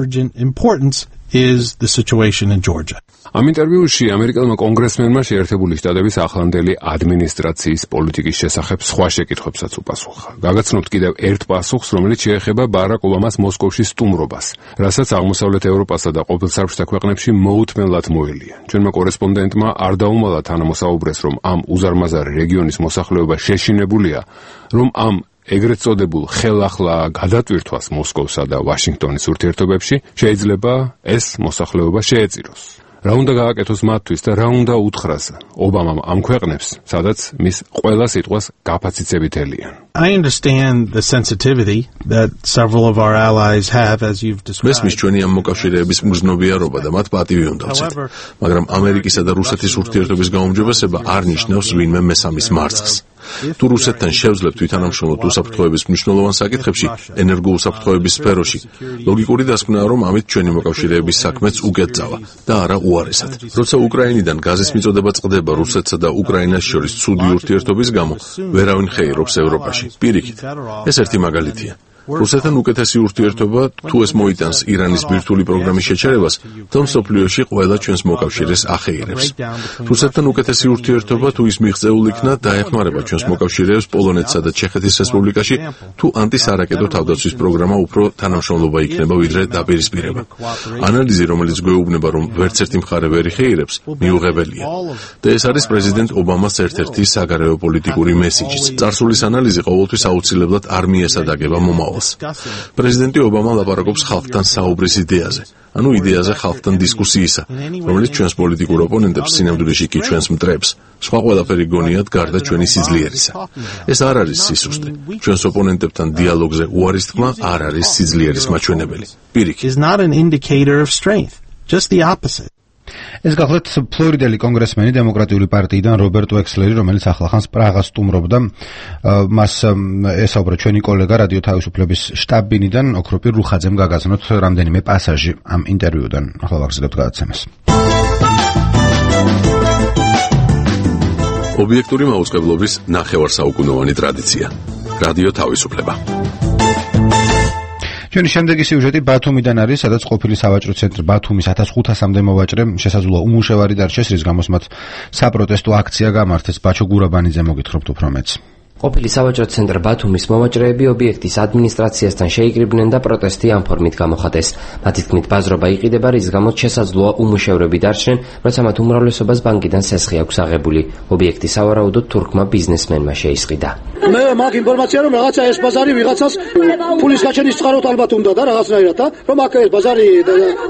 is the situation in Georgia. ამ ინტერვიუში ამერიკელმა კონგრესმენმა შეერთებული შტატების ახლანდელი ადმინისტრაციის პოლიტიკის შესახებ სხვა შეკითხვებსაც უპასუხა. გაგაცნობთ კიდევ ერთ პასუხს, რომელიც შეეხება ბარაკ ობამას მოსკოვში სტუმრობას, რასაც აღმოსავლეთ ევროპასა და ყოფილ საბჭოთა ქვეყნებში მოუთმენლად მოელია. ჩვენმა კორესპონდენტმა არ დაუმალა თანამოსაუბრეს, რომ ამ უზარმაზარი რეგიონის მოსახლეობა შეშინებულია, რომ ამ ეგრეთ წოდებულ ხელახლა გადატვირთვას მოსკოვსა და ვაშინგტონის ურთიერთობებში შეიძლება ეს მოსახლეობა შეეწიროს. რა უნდა გააკეთოს მათთვის და რა უნდა უთხრას ობამამ ამ ქვეყნებს, სადაც მის ყველა სიტყვას გაფაციცებით ელიან. I understand the sensitivity that several of our allies have, as you've described. მესმის ჩვენი ამ მოკავშირეების მგრძნობიარობა და მათ პატივი უნდა ვცეთ. მაგრამ ამერიკისა და რუსეთის ურთიერთობის გაუმჯობესება არ ნიშნავს ვინმე მესამის მარცხს. თუ რუსეთთან შევძლებთ ვითანამშრომლოთ უსაფრთხოების მნიშვნელოვან საკითხებში, ენერგოუსაფრთხოების სფეროში, ლოგიკური დასკვნაა, რომ ამით ჩვენი მოკავშირეების საქმეც უკეთ წავა და არა უარესად. როცა უკრაინიდან გაზის მიწოდება წყდება რუსეთსა და უკრაინას შორის ცუდი ურთიერთობის გამო, ვერავინ ხეირობს ევროპაში. პირიქით, ეს ერთი მაგალითია. რუსეთთან უკეთესი ურთიერთობა თუ ეს მოიტანს ირანის ბირთვული პროგრამის შეჩერებას, თუმცა მსოფლიოში ყველა ჩვენს მოკავშირეს ახეირებს. რუსეთთან უკეთესი ურთიერთობა თუ ის მიღწეულ იქნა, დაეხმარება ჩვენს მოკავშირეებს პოლონეთსა და ჩეხეთის რესპუბლიკაში, თუ ანტისარაკეტო თავდაცვის პროგრამა უფრო თანამშრომლობა იქნება ვიდრე დაპირისპირება. ანალიზი, რომელიც გვეუბნება, რომ ვერც ერთი მხარე ვერ იხეირებს, მიუღებელია. და ეს არის პრეზიდენტ ობამას ერთ-ერთი საგარეო პოლიტიკური მესიჯიც. წარსულის ანალიზი ყოველთვის აუცილებლად არ მიესადაგება მომავალს. პრეზიდენტი ობამა ლაპარაკობს ხალხთან საუბრის იდეაზე, ანუ იდეაზე ხალხთან დისკუსიისა, რომელიც ჩვენს პოლიტიკურ ოპონენტებს სინამდვილეში კი ჩვენს მტრებს, სხვა ყველაფერი გონიათ გარდა ჩვენი სიძლიერისა. ეს არ არის სისუსტე. ჩვენს ოპონენტებთან დიალოგზე უარის თქმა არ არის სიძლიერის მაჩვენებელი. პირიქით. Is not an indicator of strength, just the opposite. ეს გახლავთ ფლორიდელი კონგრესმენი დემოკრატიული პარტიიდან რობერტ უექსლერი, რომელიც ახლახანს პრაღას სტუმრობდა. მას ესაუბრა ჩვენი კოლეგა რადიო თავისუფლების შტაბ-ბინიდან ოქროპირ რუხაძემ გაგაცნოთ რამდენიმე პასაჟი ამ ინტერვიუდან. ახლა ვაგრძელებთ გადაცემას. ობიექტური მაუწყებლობის ნახევარსაუკუნოვანი ტრადიცია. რადიო თავისუფლება. ჩვენი შემდეგი სიუჟეტი ბათუმიდან არის, სადაც ყოფილი სავაჭრო ცენტრი ბათუმის ათას ხუთასამდე მოვაჭრე შესაძლოა უმუშევარი დარჩეს, რის გამოც მათ საპროტესტო აქცია გამართეს. ბაჩო გურაბანიძე მოგითხრობთ უფრო მეტს. ყოფილი სავაჭრო ცენტრ ბათუმის მოვაჭრეები ობიექტის ადმინისტრაციასთან შეიკრიბნენ და პროტესტი ამ ფორმით გამოხატეს. მათი თქმით, ბაზრობა იყიდება, რის გამოც შესაძლოა უმუშევრები დარჩნენ, როცა მათ უმრავლესობას ბანკიდან სესხი აქვს აღებული. ობიექტი სავარაუდოდ თურქმა ბიზნესმენმა შეისყიდა. მე მაგ ინფორმაცია რომ რაღაცა ეს ბაზარი ვიღაცას ფულის გაჩენის წყაროთ ალბათ უნდა და რაღაცნაირად, რომ აქ ეს ბაზარი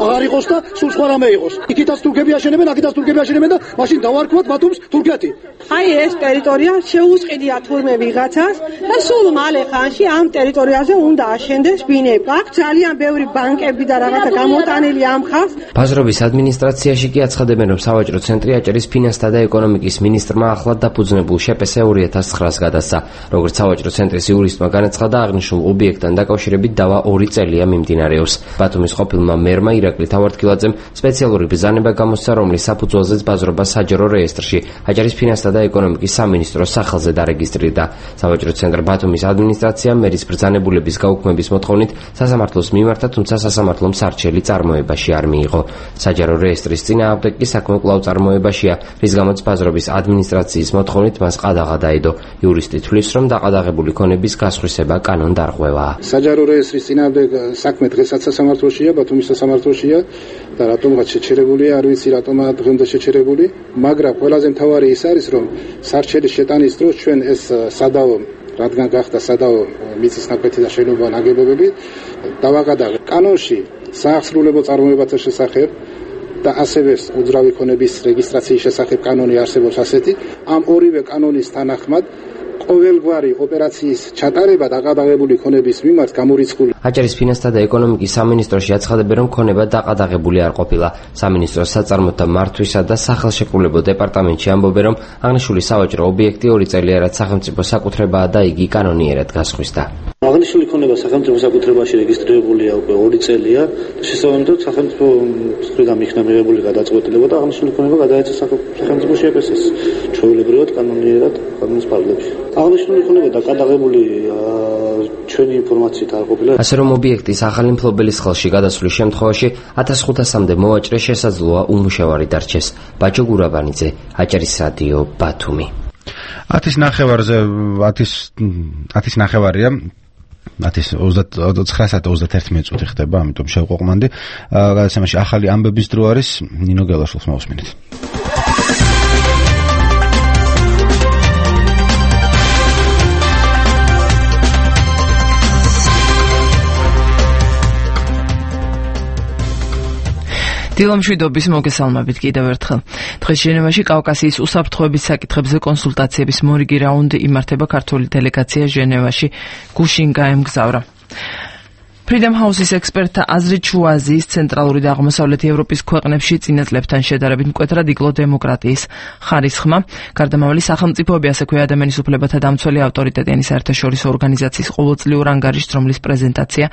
აღარ იყოს და სულ სხვა რამე იყოს. იქითაც თურქები აშენებენ, აქითაც თურქები აშენებენ და მაშინ დავარქვათ ბათუმს თურქეთი. აი ეს ტერიტორია შეუსყიდია თურმე ვიღაცას და სულ მალე ხანში ამ ტერიტორიაზე უნდა აშენდეს ბინები. აქ ძალიან ბევრი ბანკები და რაღაცა გამოტანილი ამ ხალხს. ბაზრობის ადმინისტრაციაში კი აცხადებენ, რომ სავაჭრო ცენტრი აჭარის ფინანსთა და ეკონომიკის მინისტრმა ახლად დაფუძნებულ შეპეს ორი ათას ცხრას გადასცა. როგორც სავაჭრო ცენტრის იურისტმა განაცხადა, აღნიშნულ ობიექტთან დაკავშირებით დავა ორი წელია მიმდინარეობს. ბათუმის ყოფილმა მერმა ირაკლი თავართქილაძემ სპეციალური ბრძანება გამოსცა, რომლის საფუძველზეც ბაზრობა საჯარო რეესტრში აჭარის ფინანსთა და ეკონომიკის სამინისტროს სახელზე დარეგისტრირდა. სავაჭრო ცენტრ ბათუმის ადმინისტრაციამ მერის ბრძანებულების გაუქმების მოთხოვნით სასამართლოს მიმართა, თუმცა სასამართლომ სარჩელი წარმოებაში არ მიიღო. საჯარო რეესტრის წინააღმდეგ კი საქმე კვლავ წარმოებაშია, რის გამოც ბაზრობის ადმინისტრაციის მოთხოვნით მას ყადაღა დაედო. იურისტი თვლის, რომ დაყადაღებული ქონების გასხვისება კანონდარღვევაა. საჯარო რეესტრის წინააღმდეგ საქმე დღესაც სასამართლოშია, ბათუმის სასამართლოშია და რატომღაც შეჩერებულია, არ ვიცი რატომაა დღემდე შეჩერებული, მაგრამ ყველაზე მთავარი ის არის, რომ სარჩელის შეტანის დროს ჩვენ ეს სადაო, რადგან გახდა სადაო მიწის ნაკვეთი და შენობა ნაგებობები, დავაკადაღეთ. კანონში საახსრულებო წარმოებათა შესახებ და ასევე უძრავი ქონების რეგისტრაციის შესახებ კანონი არსებობს ასეთი. ამ ორივე კანონის თანახმად ყოველგვარი ოპერაციის ჩატარება დაყადაღებული ქონების მიმართ გამორიცხული. აჭარის ფინანსთა და ეკონომიკის სამინისტროში აცხადებენ, რომ ქონება დაყადაღებული არ ყოფილა. სამინისტროს საწარმოთა მართვისა და სახელშეკრულებო დეპარტამენტში ამბობენ, რომ აღნიშნული სავაჭრო ობიექტი ორი წელია, რაც სახელმწიფო საკუთრებაა და იგი კანონიერად გასხვისდა. აღნიშნული ქონება სახელმწიფო საკუთრებაში რეგისტრირებულია უკვე ორი წელია და შესაბამისად სახელმწიფო მხრიდან იქნა მიღებული გადაწყვეტილება და აღნიშნული ქონება გადაეცა სახელმწიფო შეპესეს ჩვეულებრივად კანონიერად კანონის ფარგლებში. აღნიშნული ქონება დაკადაღებული ჩვენი ინფორმაციით არ ყოფილა. ასე რომ ობიექტის ახალი მფლობელის ხელში გადასვლის შემთხვევაში ათას ხუთასამდე მოვაჭრე შესაძლოა უმუშევარი დარჩეს. ბაჭო გურაბანიძე, აჭარის რადიო, ბათუმი. ათის ნახევარზე ათის ნახევარია ათის ოცდაოთხი საათი ოცდაერთი მინუტი ხდება, ამიტომ შევყვყმანდი. გადაცემაში ახალი ამბების დრო არის, ნინო გელაშვილს მოვუსმინეთ. დილომშვიდობის მოგესალმებით კიდევ ერთხელ. დღეს ჟენევაში კავკასიის უსაფრთხოების საკითხებზე კონსულტაციების მორიგი რაუნდი იმართება. ქართული დელეგაცია ჟენევაში გუშინ გაემგზავრა. Freedom House-ის ექსპერტთა აზრით, შუა აზიის, ცენტრალური და აღმოსავლეთი ევროპის ქვეყნებში წინა წლებთან შედარებით მკვეთრად იკლო დემოკრატიის ხარისხმა. გარდამავალი სახელმწიფოები, ასექვე ადამიანის უფლებათა დამცველი ავტორიტეტიანი საერთაშორისო ორგანიზაციის ყოველწლიურ ანგარიშს, რომლის პრეზენტაცია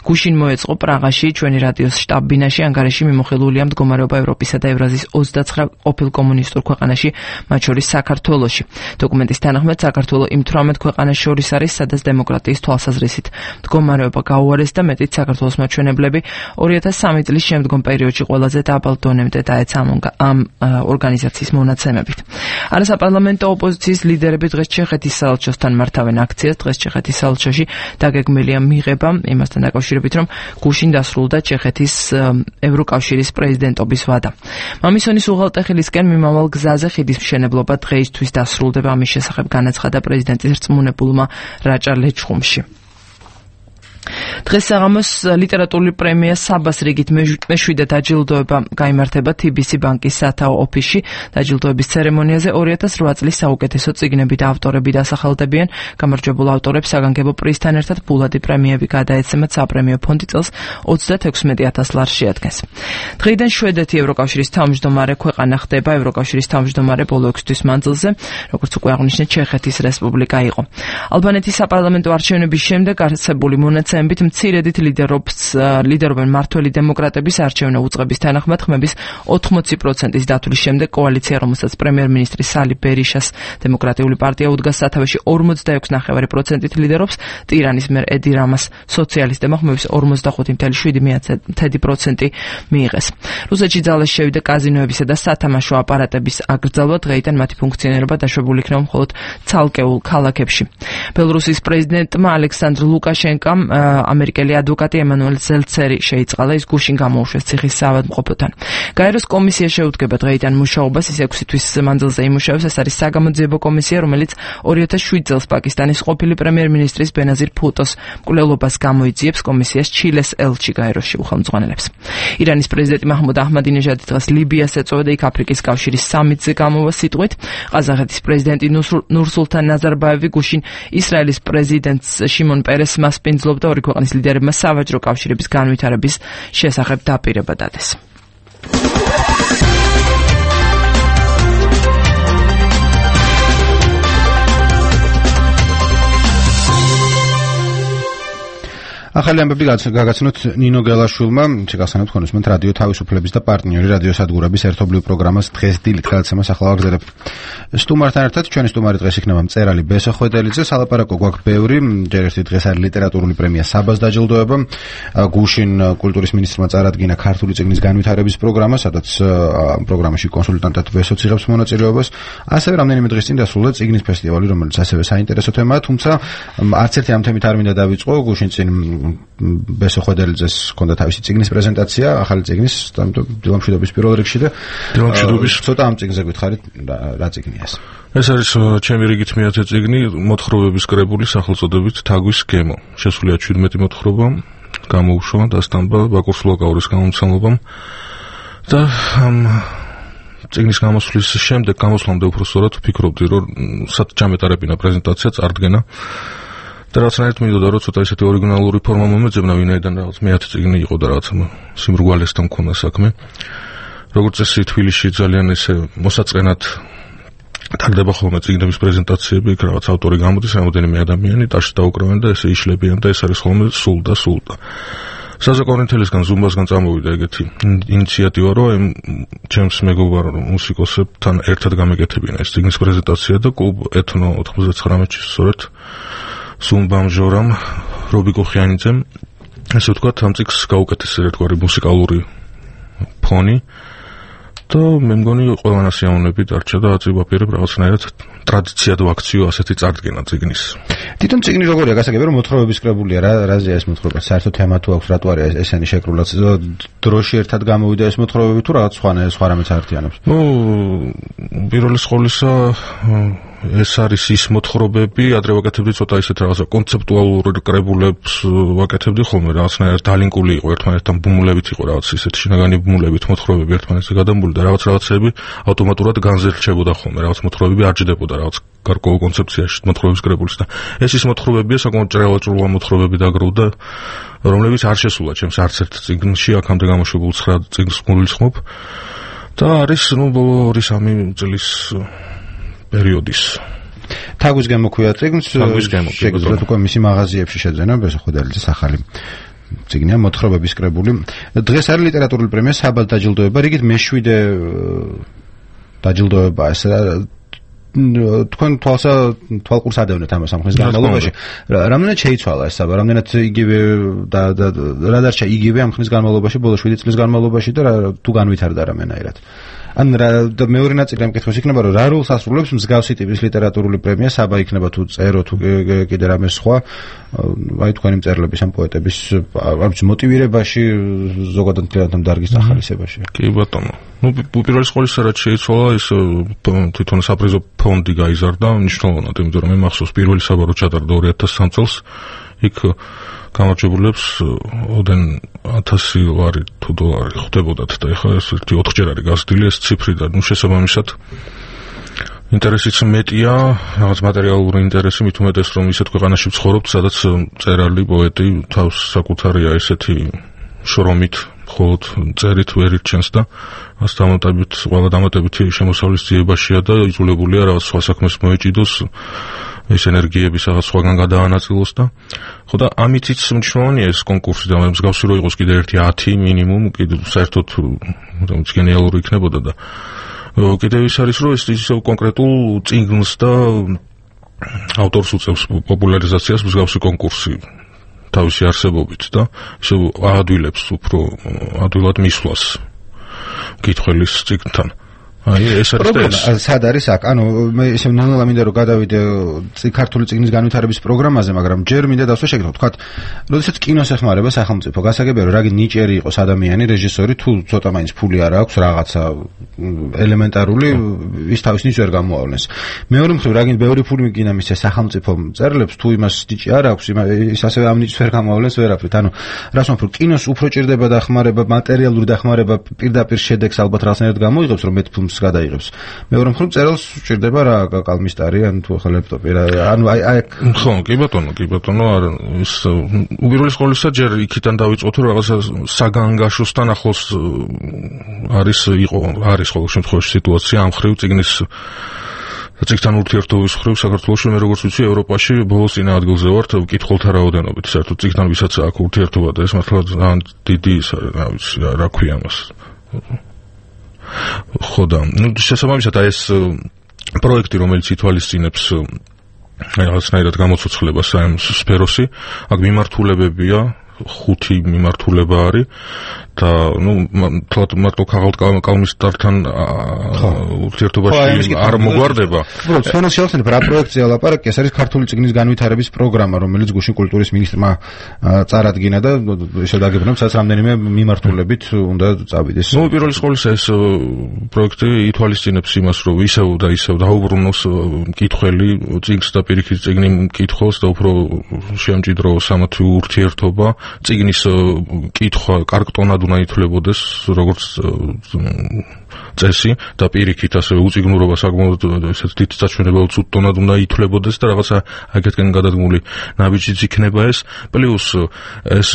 გუშინ მოეწყო პრაღაში, ჩვენი რადიოს შტაბ-ბინაში. ანგარიში მიმოხილულია მდგომარეობა ევროპისა და ევრაზიის ოცდაცხრა ყოფილ კომუნისტურ ქვეყანაში, მათ შორის საქართველოში. დოკუმენტის თანახმად, საქართველო იმ თვრამეტ ქვეყანას შორის არის, სადაც დემოკრატიის თვალსაზრისით მდგომარეობა გაუარეს და მეტიც საქართველოს მაჩვენებლები ორი ათას სამი წლის შემდგომ პერიოდში ყველაზე დაბალ დონემდე დაეცა ამ ორგანიზაციის მონაცემებით. არასაპარლამენტო ოპოზიციის ლიდერები დღეს ჩეხეთის საელჩოსთან მართავენ აქციას. დღეს ჩეხეთის საელჩოში დაგეგმილია მიღება იმასთან დაკავშირებით, რომ გუშინ დასრულდა ჩეხეთის ევროკავშირის პრეზიდენტობის ვადა. მამისონის უღელტეხილისკენ მიმავალ გზაზე ხიდის მშენებლობა დღეისთვის დასრულდება. ამის შესახებ განაცხადა პრეზიდენტის რწმუნებულმა რაჭა ლეჩხუმში. დღეს საღამოს ლიტერატურული პრემია საბას რიგით მეშვიდე დაჯილდოება გაიმართება T B C ბანკის სათაო ოფისში. დაჯილდოების ცერემონიაზე ორი ათას რვა წლის საუკეთესო წიგნები და ავტორები დასახელდებიან. გამარჯვებულ ავტორებს საგანგებო პრიზთან ერთად ფულადი პრემიები გადაეცემათ. საპრემიო ფონდი წელს ოცდათექვსმეტი ათას ლარს შეადგენს. დღეიდან შვედეთი ევროკავშირის თავმჯდომარე ქვეყანა ხდება. ევროკავშირის თავმჯდომარე ბოლო ექვსი თვის მანძილზე, როგორც უკვე აღნიშნეთ, ჩეხეთის რესპუბლიკა იყო. ალბანეთის საპარლამენტო არჩევნების შემდეგ არსებული მონაცემებით მცირედით ლიდერობს ლიდერობენ მართველი დემოკრატების არჩევნო უწყების თანახმად ხმების ოთხმოცი პროცენტის დათვლის შემდეგ კოალიცია, რომელსაც პრემიერ-მინისტრი სალი ბერიშას დემოკრატიული პარტია უდგას სათავეში ორმოცდაექვსი ნახევარი პროცენტით ლიდერობს. ტირანის მერ ედი რამას სოციალისტებმა ხმების ორმოცდახუთი ნახევარი პროცენტი მიიღეს. რუსეთში ძალას შევიდა კაზინოებისა და სათამაშო აპარატების აკრძალვა. დღეიდან მათი ფუნქციონირება დაშვებული იქნება მხოლოდ ცალკეულ ქალაქებში. ბელორუსის პრეზიდენტმა ალექსანდრ ლუკაშენკამ ამერიკელი ადვოკატი ემანუელ ზელცერი შეიწყალა ის გუშინ გამოუშვეს ციხის საავადმყოფოთან. გაეროს კომისია შეუდგება დღეიდან მუშაობას, ის ექვსი თვის მანძილზე იმუშავებს. ეს არის საგამოძიებო კომისია, რომელიც ორი ათას შვიდ წელს პაკისტანის ყოფილი პრემიერ-მინისტრის ბენაზირ ფუტოს მკვლელობას გამოიძიებს. კომისიას ჩილეს ელჩი გაეროში უხელმძღვანელებს. ირანის პრეზიდენტი მაჰმუდ აჰმადინეჟადი დღეს ლიბიას ეწოდა, იქ აფრიკის კავშირის სამიტზე გამოვა სიტყვით. ყაზახეთის პრეზიდენტი ნურსულთან ნაზარბაევი გუშინ ისრაელის პრეზიდენტს შიმონ პერესს მასპინძლობდა, ორი ქვეყნის ლიდერებმა სავაჭრო კავშირების განვითარების შესახებ დაპირება დადეს. ახალი ამბები გაგაცნოთ ნინო გელაშვილმა, შეგახსენებთ ხონისმენთ რადიო თავისუფლების და პარტნიორი რადიო სადგურების ერთობლივ პროგრამას დღეს დილით გადაცემას ახლა ვაგრძელებთ. სტუმართან ერთად ჩვენი სტუმარი დღეს იქნება მწერალი ბესო ხვედელიძე, სალაპარაკო გვაქვს ბევრი, ჯერ ერთი დღეს არის ლიტერატურული პრემია საბას დაჯილდოება, გუშინ კულტურის მინისტრმა წარადგინა ქართული წიგნის განვითარების პროგრამა, სადაც პროგრამაში კონსულტანტად ბესოც იღებს მონაწილეობას, ასევე რამდენიმე დღის წინ დასრულდა წიგნის ფესტივალი, რომელიც ასევე საინტერესო თემაა, თუმცა არც ერთი ამ თემით არ მინდა დავიწყო, გუშინ წინ ბესო ხვედელიძეს ჰქონდა თავისი წიგნის პრეზენტაცია, ახალი წიგნის, ამიტომ დილამშვიდობის პირველ რიგში და დილამშვიდობის ცოტა ამ წიგნზე გითხარით რა წიგნია ეს. ეს არის ჩემი რიგით მეათე წიგნი, მოთხრობების კრებული სახელწოდებით თაგვის გემო. შესულია შვიდმეტი მოთხრობა, გამოუშვა დასტამბა ბაკურ სულაკაურის გამომცემლობამ და ამ წიგნის გამოსვლის შემდეგ, გამოსვლამდე უფრო სწორად ვფიქრობდი, რომ საჭამეტარებინა პრეზენტაცია წარდგენა და რაღაცნაირად მინდოდა რომ ცოტა ისეთი ორიგინალური ფორმა მომეძებნა, ვინაიდან რაღაც მეათე წიგნი იყო და რაღაც სიმრგვალესთან მქონდა საქმე. როგორც წესი თბილისში ძალიან ესე მოსაწყენად ტარდება ხოლმე წიგნების პრეზენტაციები, იქ რაღაც ავტორი გამოდის, რამოდენიმე ადამიანი ტაშს დაუკრავენ და ესე იშლებიან და ეს არის ხოლმე სულ და სულ და საზაკონრინთელისგან ზუმბასგან წამოვიდა ეგეთი ინიციატივა, რომ ჩემს მეგობარ მუსიკოსებთან ერთად გამეკეთებინა ეს წიგნის პრეზენტაცია და კლუბ ეთნო ოთხმოცდათვრამეტში სწორედ ზუმბამ ჟორამ რობიკო ხიანიძემ ესე ვთქვათ ამ წიგნს გაუკეთეს ერთგვარი მუსიკალური ფონი და მე მგონი ყველანას იაუნები დარჩა და აწიბაპირებ რაღაცნაირად ტრადიციად ვაქციო ასეთი წარდგენა წიგნის. თვითონ წიგნი როგორია, გასაგებია რომ მოთხრობების კრებულია, რა რაზეა ეს მოთხრობა? საერთოდ თემა თუ აქვს, რატო არის ესენი შეკრულած? დროში ერთად გამოვიდა ეს მოთხრობები თუ რაღაც სხვა სხვა რამეც აერთიანებს? ნუ პირველი სკოლისა ეს არის ის მოთხრობები, ადრე ვაკეთებდი ცოტა ისეთ რაღაცა კონცეპტუალურ კრებულებს ვაკეთებდი ხოლმე, რაღაცნაირად დალინკული იყო ერთმანეთთან ბუმულებით იყო რაღაც ისეთ შინაგანი ბუმულებით მოთხრობები ერთმანეთზე გადამული და რაღაც რაღაცები ავტომატურად განზრჩებოდა ხოლმე, რაღაც მოთხრობები არჯდებოდა რაღაც გარკვეულ კონცეფციაში მოთხრობის კრებულის და ეს ის მოთხრობებია, საკმაოდ ჭრელაჭრულა მოთხრობები დაგროვდა, რომლებიც არ შესულა ჩემს არც ერთ წიგნში, აქამდე გამოშვებულ ცხრა წიგნს გულისხმობ და არის ნუ ბოლო ორი სამი წლის პერიოდის. თაგვის გემო ქვია წიგნს, თაგვის გემო. შეგიძლიათ უკვე მისი მაღაზიებში შეძენა, ბესო ხვედელიძის ახალი წიგნია მოთხრობების კრებული. დღეს არის ლიტერატურული პრემია საბას დაჯილდოება, რიგით მეშვიდე დაჯილდოება ეს თქვენ თვალსა თვალყურს ადევნეთ ამას ამ ხნის განმავლობაში. რამდენად შეიცვალა ეს საბა, რამდენად იგივე და რა დარჩა იგივე ამ ხნის განმავლობაში, ბოლო შვიდი წლის განმავლობაში და თუ განვითარდა რამენაირად. ან და მეორე ნაწილი ამ კითხვის იქნება, რომ რა როლს ასრულებს მსგავსი ტიპის ლიტერატურული პრემია, საბა იქნება თუ წერო თუ კიდე რამე სხვა, აი თქვენი მწერლების ამ პოეტების ამ მოტივირებაში, ზოგადად ამ დარგის ახალისებაში. კი ბატონო. ნუ პირველი სკოლის რაც შეიცვალა, ის თვითონ საპრიზო ფონდი გაიზარდა, მნიშვნელოვნად, იმიტომ რომ მე მახსოვს პირველი საბა რო ჩატარდა ორი ათას სამი წელს, იქ გამარჯვებულებს ოდენ ათასი ლარი თუ დოლარი ხდებოდათ და ეხლა ეს ერთი ოთხჯერ არის გაზრდილი ეს ციფრი და ნუ შესაბამისად ინტერესიც მეტია, რაღაც მატერიალური ინტერესი, მით უმეტეს რომ ისეთ ქვეყანაში ვცხოვრობთ, სადაც მწერალი, პოეტი თავს საკუთარია ესეთი შრომით, მხოლოდ წერით ვერ ირჩენს და მას დამატებით, ყველა დამატებითი შემოსავლის ძიებაშია და იძულებულია რაღაც სხვა საქმეს მოეჭიდოს, ეს ენერგიების რაღაც სხვაგან გადაანაწილოს და ხო და ამითიც მნიშვნელოვანია ეს კონკურსი და მსგავსი რო იყოს კიდე ერთი ათი მინიმუმ, კიდე საერთოდ რომელიც გენიალური იქნებოდა და კიდევ ის არის რომ ეს ისევ კონკრეტულ წიგნს და ავტორს უწევს პოპულარიზაციას მსგავსი კონკურსი თავისი არსებობით და ისევ აადვილებს უფრო ადვილად მისვლას კითხველის წიგნთან აი ეს არის სად არის აქ? ანუ მე ისე ნალა მინდა რომ გადავიდე ქართული წიგნის განვითარების პროგრამაზე, მაგრამ ჯერ მინდა დავსვე შეგეთქვათ, თქვათ, როდესაც კინოს ეხმარება სახელმწიფო, გასაგებია რომ რაგი ნიჭიერი იყოს ადამიანი, რეჟისორი, თუ ცოტა მაინც ფული არ აქვს, რაღაცა ელემენტარული ის თავის ნიჭს ვერ გამოავლენს. მეორე მხრივ, რაგინ ბევრი ფული მიგინა მისცეს სახელმწიფო მწერლებს, თუ იმას ნიჭი არ აქვს, ის ასევე ამ ნიჭს ვერ გამოავლენს ვერაფრით. ანუ რას ვამბობ, კინოს უფრო ჭირდება დახმარება, მატერიალური დახმარება პირდაპირ შედეგს ალბათ რაღაცნაირად გამოიღებს, რომ მეტ ფილმს გადაიღებს. მეორე მხრივ, მწერალს ჭირდება რა კალმისტარი, ან თუ ახლა ლეპტოპი რა, ანუ აი აი ხო, კი ბატონო, კი ბატონო, არა ის უპირველეს ყოვლისა ჯერ იქიდან დავიწყოთ, რომ რაღაცა საგანგაშოსთან ახლოს არის იყო, არის ყოველ შემთხვევაში სიტუაცია ამ ხრივ წიგნის წიგნთან ურთიერთობის ხრივ საქართველოში, მე როგორც ვიცი, ევროპაში ბოლოს წინა ადგილზე ვართ მკითხველთა რაოდენობით, საერთოდ წიგნთან ვისაც აქვს ურთიერთობა და ეს მართლა ძალიან დიდი ის არის, რა ვიცი, რა ქვია მას. ხო და ნუ შესაბამისად აი ეს პროექტი, რომელიც ითვალისწინებს რაღაცნაირად გამოცოცხლებას ამ სფეროსი, აქ მიმართულებებია, ხუთი მიმართულება არის და ნუ თლათ მარტო კალმისტართან ურთიერთობაში არ მოგვარდება. უბრალოდ სვენოს შევახსენებ რა პროექტზეა ლაპარაკი, ეს არის ქართული წიგნის განვითარების პროგრამა, რომელიც გუშინ კულტურის მინისტრმა წარადგინა და ესე დაგებრუნებ, სადაც რამდენიმე მიმართულებით უნდა წავიდეს. ნუ პირველი ყოვლისა ეს პროექტი ითვალისწინებს იმას, რომ ისევ და ისევ დაუბრუნოს მკითხველი წიგნს და პირიქით წიგნი მკითხველს და უფრო შეამჭიდროს ამათი ურთიერთობა. წიგნის კითხვა კარგტონად უნდა ითვლებოდეს როგორც წესი და პირიქით ასევე უწიგნურობა საკმაოდ ესეთ დიდ საჩვენებელ წუტონად უნდა ითვლებოდეს და რაღაცა აქეთკენ გადადგმული ნაბიჯიც იქნება ეს. პლუს ეს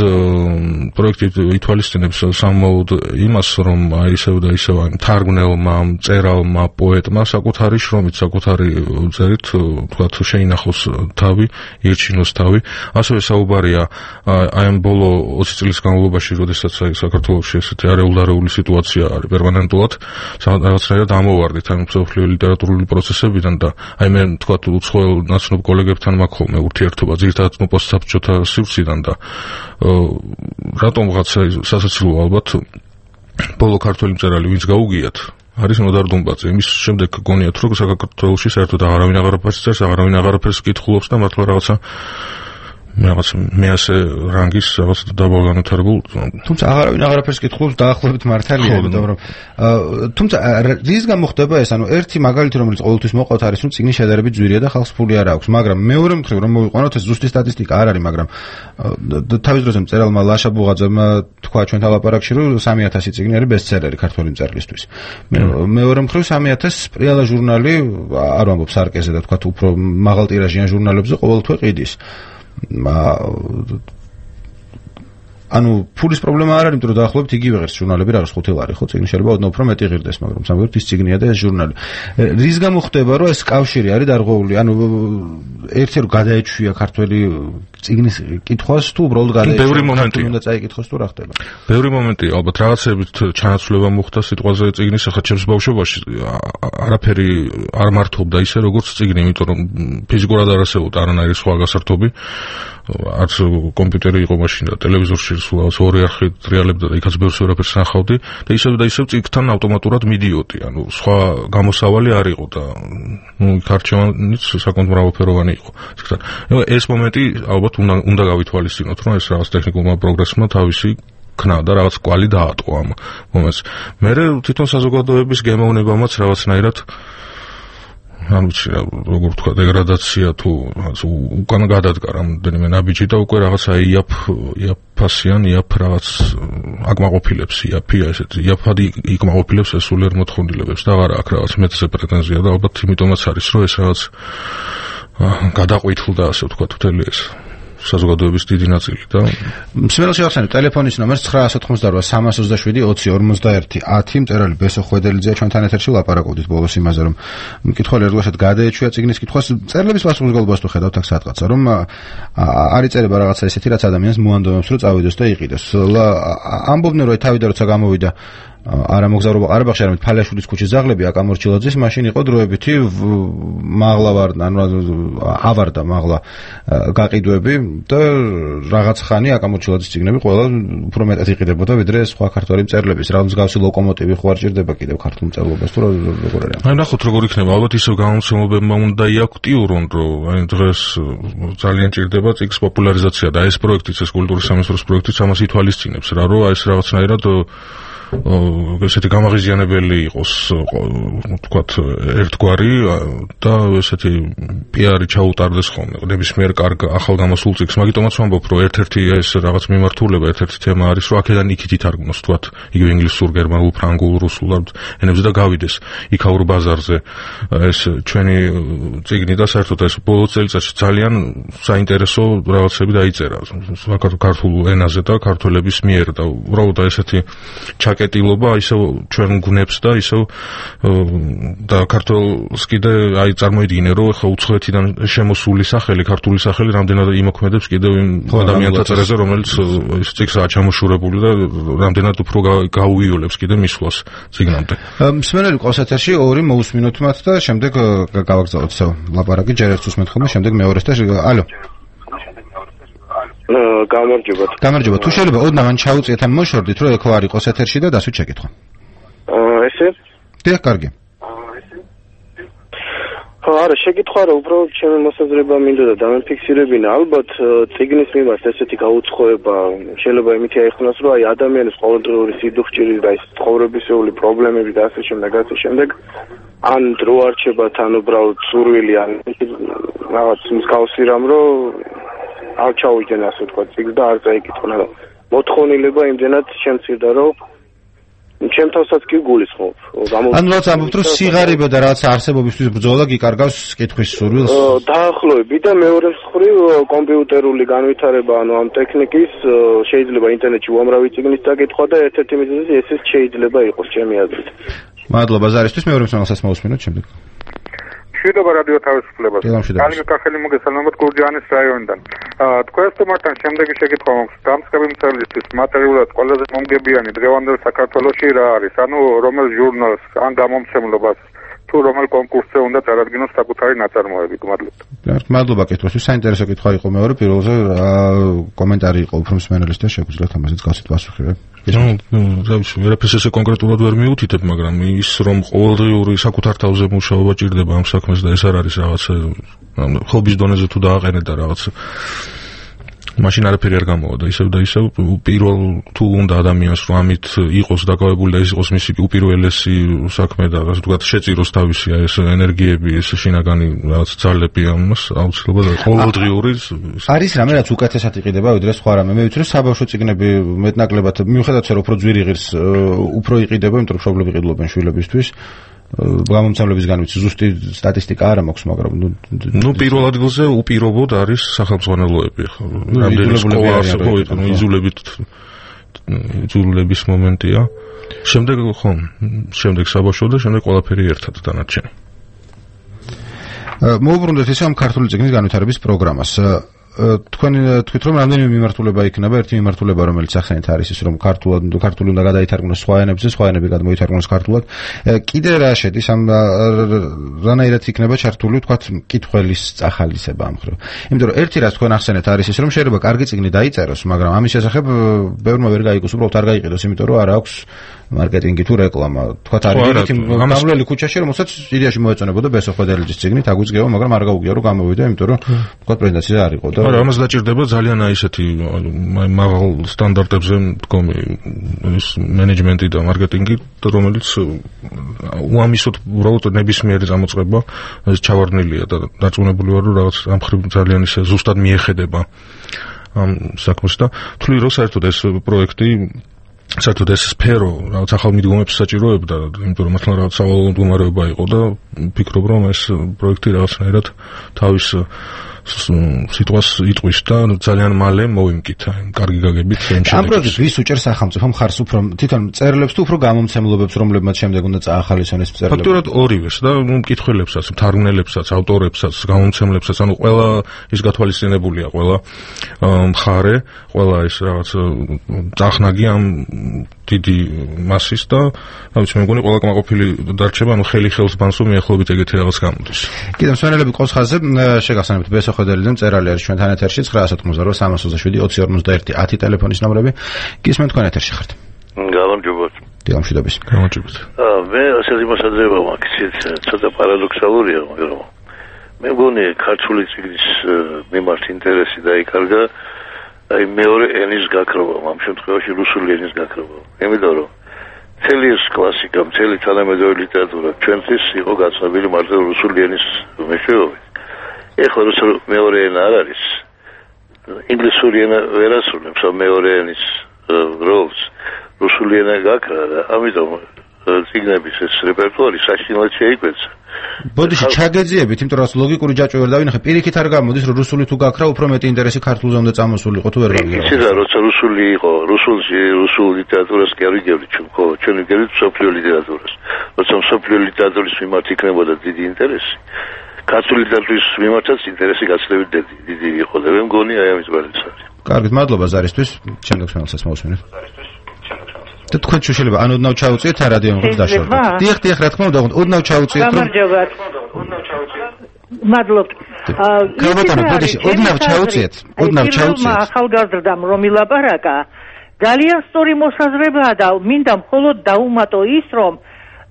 პროექტი ითვალისწინებს სამმაოდ იმას, რომ აი ისევ და ისევ აი მთარგმნელმა, მწერალმა, პოეტმა საკუთარი შრომით, საკუთარი წერით თქვათ შეინახოს თავი, ირჩინოს თავი. ასევე საუბარია აი ამ ბოლო ოცი წლის განმავლობაში, როდესაც აი საქართველოში ესეთი არეულდარეული სიტუაცია არის პერმანენტულად, რაღაცნაირად ამოვარდით ამ მსოფლიო ლიტერატურული პროცესებიდან და აი მე თქვათ უცხოელ ნაცნობ კოლეგებთან მაქვს ხოლმე ურთიერთობა, ძირითადად პოსტსაბჭოთა სივრციდან და რატომღაც სასაცილო ალბათ ბოლო ქართველი მწერალი ვინც გაუგიათ არის ნოდარ დუმბაძე. იმის შემდეგ გონიათ რომ საქართველოში საერთოდ აღარავინ აღარაფერს წერს, აღარავინ აღარაფერს კითხულობს და მართლა რაღაცა რაღაც მეასე რანგის რაღაც დაბალგანვითარებულ. თუმცა აღარავინ აღარაფერს კითხულობს დაახლოებით მართალია, იმიტომ რომ თუმცა რის გამო ხდება ეს? ანუ ერთი მაგალითი რომელიც ყოველთვის მოყავთ არის რომ წიგნის შედარებით ძვირია და ხალხს ფული არ აქვს, მაგრამ მეორე მხრივ რომ მოვიყვანოთ ეს ზუსტი სტატისტიკა არ არის, მაგრამ თავის დროზე მწერალმა ლაშა ბუღაძემ თქვა ჩვენთან ლაპარაკში რომ სამი ათასი წიგნი არის ბესტსელერი ქართველი მწერლისთვის. მეორე მხრივ სამი ათასი სპრიალა ჟურნალი არ ვამბობ სარკეზე და თქვა უფრო მაღალ ტირაჟიან ჟურნალებზე ყოველთვე ყიდის. ანუ ფულის პრობლემა არ არის, იმიტომ რომ დაახლოებით იგივე ღირს ჟურნალები რა არის ხუთი ლარი, ხო, წიგნი შეიძლება ოდნავ უფრო მეტი ღირდეს, მაგრამ სამგებლად ის წიგნია და ეს ჟურნალი. რის გამო ხდება, რომ ეს კავშირი არის დარღვეული? ანუ ერთი რომ გადაეჩვია ქართველი წიგნის კითხვას თუ უბრალოდ გადაეჩვია ბევრი მომენტი უნდა წაიკითხოს თუ რა ხდება? ბევრი მომენტი, ალბათ რაღაცებით ჩანაცვლება მოხდა სიტყვაზე წიგნის, ახლა ჩემს ბავშვობაში არაფერი არ მართობდა ისე როგორც წიგნი, იმიტომ რომ ფიზიკურად არ არსებობდა არანაირი სხვა გასართობი. არც კომპიუტერი იყო მაშინ და ტელევიზორში სულ ორი არხი ტრიალებდა და იქაც ბევრს ვერაფერს ნახავდი და ისევ და ისევ წიგნთან ავტომატურად მიდიოდი, ანუ სხვა გამოსავალი არ იყო და ნუ იქ არჩევანიც საკმაოდ მრავალფეროვანი იყო წიგნთან. ეს მომენტი ალბათ უნდა უნდა გავითვალისწინოთ, რომ ეს რაღაც ტექნიკურმა პროგრესმა თავისი ქნა და რაღაც კვალი დაატყო ამ მომენტს. მე თვითონ საზოგადოების გემოვნებამაც რაღაცნაირად ანუ როგორ თქვა დეგრადაცია თუ უკან გადადგა რამდენიმე ნაბიჯი და უკვე რაღაცა იაფ იაფასიან იაფ რაღაც აკმაყოფილებს იაფია ესეთი იაფადი იკმაყოფილებს ეს სულიერ მოთხოვნილებებს და აღარა აქვს რაღაც მეტზე პრეტენზია და ალბათ იმიტომაც არის რომ ეს რაღაც გადაყვითლდა ასე ვთქვა მთელი ეს საზოგადოების დიდი ნაწილი და მსმენელს შევახსენებ ტელეფონის ნომერს ცხრა ათოთხმოცდარვა სამას ოცდაშვიდი ოცი ორმოცდაერთი ათი. მწერალი ბესო ხვედელიძეა ჩვენთან ეთერში, ლაპარაკობდით ბოლოს იმაზე რომ მკითხველი ერთგვარად გადაეჩვია წიგნის კითხვას. მწერლების პასუხისმგებლობას თუ ხედავთ აქ სადღაცა რომ არ იწერება რაღაცა ესეთი რაც ადამიანს მოანდომებს რომ წავიდეს და იყიდეს. ამბობდნენ რომ თავიდან როცა გამოვიდა არა მოგზაურობა ყარაბაღში, არამედ ფალიაშვილის ქუჩის ძაღლები აკამორჩილაძის მაშინ იყო დროებითი მაღლა ვარ, ანუ ავარდა მაღლა გაყიდვები და რაღაც ხანი აკამორჩილაძის ციგნები ყველა უფრო მეტად იყიდებოდა ვიდრე სხვა ქართველი მწერლების. რა მსგავსი ლოკომოტივი ხო არ ჭირდება კიდევ ქართულ მწერლობას თუ როგორ არის? აი ნახოთ როგორ იქნება, ალბათ ისევ გამომცემლებმა უნდა იაქტიურონ, რომ აი დღეს ძალიან ჭირდება ციგნის პოპულარიზაცია და ეს პროექტიც, ეს კულტურის სამინისტროს პროექტიც ამას ითვალისწინებს რა, რომ ეს რაღაცნაირად ესეთი გამაღიზიანებელი იყოს, ვთქვათ, ერთგვარი და ესეთი პიარი ჩაუტარდეს ხოლმე ნებისმიერ კარგ ახალ გამოსულ წიგნს. მაგიტომაც ვამბობ, რომ ერთ-ერთი ეს რაღაც მიმართულება, ერთ-ერთი თემა არის, რომ აქედან იქით ითარგმნოს, ვთქვათ, იგივე ინგლისურ, გერმანულ, ფრანგულ, რუსულ ენებზე და გავიდეს იქაურ ბაზარზე ეს ჩვენი წიგნი და საერთოდ ეს ბოლო წელიწადში ძალიან საინტერესო რაღაცები დაიწერა ქართულ ენაზე და ქართველების მიერ და უბრალოდ ესეთი კეტილობა ისევ ჩვენ გუნებს და ისევ და ქართულს კიდე აი წარმოიდგინე რომ ხა უცხოეთიდან შემოსული სახელი, ქართული სახელი რამდენად იმოქმედებს კიდევ იმ ადამიანთა წერაზე, რომელიც ის წიგნსაა ჩამოშურებული და რამდენად უფრო გაუიოლებს კიდე მისვლას წიგნამდე. მსმენელი ყავს ეთერში ორი მოусმინოთ მათ და შემდეგ გავაგზავნოთ ისევ ლაპარაკი, ჯერ ერთს უსმენთ ხოლმე, შემდეგ მეორეს და ალო. გამარჯობათ. გამარჯობა. თუ შეიძლება ოდნა მან ჩაუწიეთ ან მოშორდით, რომ ეკო არ იყოს ეთერში და დასვით შეკითხვა. აა ესე? დიახ, კარგი. არა, შეკითხვა რა, უბრალოდ ჩემი მოსაზრება მინდა და დამიფიქსირებინა. ალბათ წიგნის მიმართ ესეთი გაუცხოება შეიძლება იმითი აიხსნას, რომ აი ადამიანის ყოველდღიური სიდუხჭირი და ის ცხოვრებისეული პრობლემები და ასე შემდეგ, ასე შემდეგ ან დრო არჩებათ, ან უბრალოდ სურვილი, ან რაღაც მსგავსი რამ, რომ არ ჩაუვიდნენ ასე თქვა წიგნს და არ წაიკითხნა. მოთხოვნილება იმდენად შემცირდა, რომ ჩემ თავსაც კი გულისხმობ. ანუ რაც ამბობთ, რომ სიღარიბე და რაც არსებობისთვის ბრძოლა გიკარგავს კითხვის სურვილს. დაახლოებით და მეორე მხრივ კომპიუტერული განვითარება, ანუ ამ ტექნიკის შეიძლება ინტერნეტში უამრავი წიგნის დაკითხვა და ერთ-ერთი მიზეზი ესეც შეიძლება იყოს ჩემი აზრით. მადლობა ზარისთვის, მეორე მსმენელსაც მოусმინოთ შემდეგ. მშვიდობა რადიო თავისუფლებას. კალიგ კახელი მოგესალმებით გურჯაანის რაიონიდან. თქვენს თემასთან შემდეგი შეკითხვა მაქვს. დამსწრები მწერლისთვის მატერიალურად ყველაზე მომგებიანი დღევანდელ საქართველოში რა არის? ანუ რომელ ჟურნალს ან გამომცემლობას თუ რომელ კონკურსზე უნდა წარადგინოს საკუთარი ნაწარმოები? გმადლობთ. მადლობა კითხვისთვის. საინტერესო კითხვა იყო მეორე, პირველზე კომენტარი იყო უფრო მსმენელის და შეგვიძლიათ ამაზეც გავსით პასუხი. ну, რავი, ვერაფერს ესე კონკრეტულად ვერ მიუთითებ, მაგრამ ის რომ ყოველდღიური საკუთარ თავზე მუშაობა ჭირდება ამ საქმეს და ეს არ არის რაღაც ხობის დონეზე თუ დააყენე და რაღაც მაშინ არაფერი არ გამოვა და ისევ და ისევ პირველ თუ უნდა ადამიანს რომ ამით იყოს დაკავებული და ეს იყოს მისი უპირველესი საქმე და ასე ვთქვათ შეწიროს თავისი ეს ენერგიები, ეს შინაგანი რაღაც ძალები ამას აუცილებლად ყოველდღიური არის რამე რაც უკეთესად იყიდება ვიდრე სხვა რამე. მე ვიცი რომ საბავშვო წიგნები მეტნაკლებად მიუხედავად რომ უფრო ძვირი ღირს უფრო იყიდება, იმიტომ რომ მშობლები ყიდულობენ შვილებისთვის. გამომცემლებისგან ვიცი ზუსტი სტატისტიკა არ მაქვს, მაგრამ ну პირველ ადგილზე უპირობოდ არის სახელმძღვანელოები ხო რამდენი სკოლა არსებობს, ну იზოლებით იზოლების მომენტია. შემდეგ ხო, შემდეგ საბავშვო და შემდეგ ყველაფერი ერთად დანარჩენი. მოუბრუნდეთ ისე ამ ქართული წიგნის განვითარების პროგრამას. თქვენ თქვით რომ რამდენიმე მიმართულება იქნება, ერთი მიმართულება რომელიც ახსენეთ არის ის რომ ქართულად ქართული უნდა გადაითარგმნოს სხვა ენებზე, სხვა ენები გადმოითარგმნოს ქართულად. კიდე რა შედის ამ რანაირად იქნება ჩართული თქვათ კითხველის წახალისება ამ ხრივ. იმიტომ რომ ერთი რაც თქვენ ახსენეთ არის ის რომ შეიძლება კარგი წიგნი დაიწეროს, მაგრამ ამის შესახებ ბევრმა ვერ გაიგოს, უბრალოდ არ გაიყიდოს, იმიტომ რომ არ აქვს მარკეტინგი თუ რეკლამა. თქვათ არის ერთი გამვლელი ქუჩაში, რომელსაც იდეაში მოეწონებოდა ბესო ხვედელიძის წიგნი, თაგვიძგევა, მაგრამ არ გაუგია რომ გამოვიდა, იმიტომ რომ თქვათ პრეზენტაცია არ იყო და არა, ამას დაჭირდება ძალიან აი ესეთი მაღალ სტანდარტებზე მდგომი ის მენეჯმენტი და მარკეტინგი, რომელიც უამისოდ უბრალოდ ნებისმიერი გამოწყება ეს ჩავარდნილია და დარწმუნებული ვარ რომ რაღაც ამ ხრივ ძალიან ისე ზუსტად მიეხედება ამ საქმეს და თვლი რომ საერთოდ ეს პროექტი საერთოდ ეს სფერო რაღაც ახალ მიდგომებს საჭიროებდა, იმიტომ რომ მართლა რაღაც სავალალო მდგომარეობა იყო და ვფიქრობ რომ ეს პროექტი რაღაცნაირად თავის სიტყვას იტყვის და ძალიან მალე მოვიმკით კარგი გაგებით ამ შემდეგს. ამ პროექტს ვის უჭერს სახელმწიფო მხარს უფრო თვითონ მწერლებს თუ უფრო გამომცემლობებს, რომლებმაც შემდეგ უნდა წაახალისონ ეს მწერლები? ფაქტურად ორივეს და მკითხველებსაც, მთარგმნელებსაც, ავტორებსაც, გამომცემლებსაც, ანუ ყველა ის გათვალისწინებულია, ყველა მხარე, ყველა ის რაღაც წახნაგი ამ დიდი მასის და რა ვიცი მე მგონი ყველა კმაყოფილი დარჩება ანუ ხელი ხელს ბანს რომ მიახლოებით ეგეთი რაღაც გამოდის. კიდევ მსვენელები ყოს ხაზზე შეგახსენებთ ბესო ხედელიდან მწერალი არის ჩვენთან ეთერში ცხრა ათოთხმოცდაორი სამას ოცდაშვიდი ოცი ორმოცდაერთი ათი ტელეფონის ნომრები გისმენთ თქვენ ეთერში ხართ. გამარჯობათ. დილამშვიდობის. გამარჯობათ. აა მე ასეთი მოსაზრება მაქვს, ცოტა პარადოქსალურია, მაგრამ მე მგონი ქართული წიგნის მიმართ ინტერესი დაიკარგა აი მეორე ენის გაქრობა, ამ შემთხვევაში რუსული ენის გაქრობა. იმიტომ რომ მთელი ეს კლასიკა, მთელი თანამედროვე ლიტერატურა ჩვენთვის იყო გაცნობილი მარტო რუსული ენის მეშვეობით. ეხლა რუსული მეორე ენა არ არის. ინგლისური ენა ვერ ასრულებს ამ მეორე ენის როლს. რუსული ენა გაქრა და ამიტომ წიგნების ეს რეპერტუარი საშინლად შეიკვეცა. ბოდიში ჩაგეძიებით, იმიტომ რომ ლოგიკური ჯაჭვი ვერ დავინახე, პირიქით არ გამოდის, რომ რუსული თუ გაქრა, უფრო მეტი ინტერესი ქართულზე უნდა წამოსულიყო თუ ვერ გავიგე. იცი რა, როცა რუსული იყო, რუსულში, რუსულ ლიტერატურას კი არ ვიგებთ ჩვენ, ხო, ჩვენ ვიგებთ მსოფლიო ლიტერატურას. როცა მსოფლიო ლიტერატურის მიმართ იქნებოდა დიდი ინტერესი, ქართული ლიტერატურის მიმართაც ინტერესი გაცილებით დიდი იყო და მე მგონი აი ამის ბალანსი არის. კარგით, მადლობა ზარისთვის, შემდეგ ხმელსაც მოვსმენთ. და თქვენ შეიძლება ან ოდნავ ჩაუწიეთ ან რადიო მომღერლს დაშორდეთ. დიახ, დიახ, რა თქმა უნდა, ოდნავ ჩაუწიეთ. გამარჯობათ. ოდნავ ჩაუწიეთ. მადლობთ. გამოტანო, ბოდიში, ოდნავ ჩაუწიეთ. ოდნავ ჩაუწიეთ. ახალგაზრდამ რომ ილაპარაკა, ძალიან სწორი მოსაზრებაა და მინდა მხოლოდ დაუმატო ის, რომ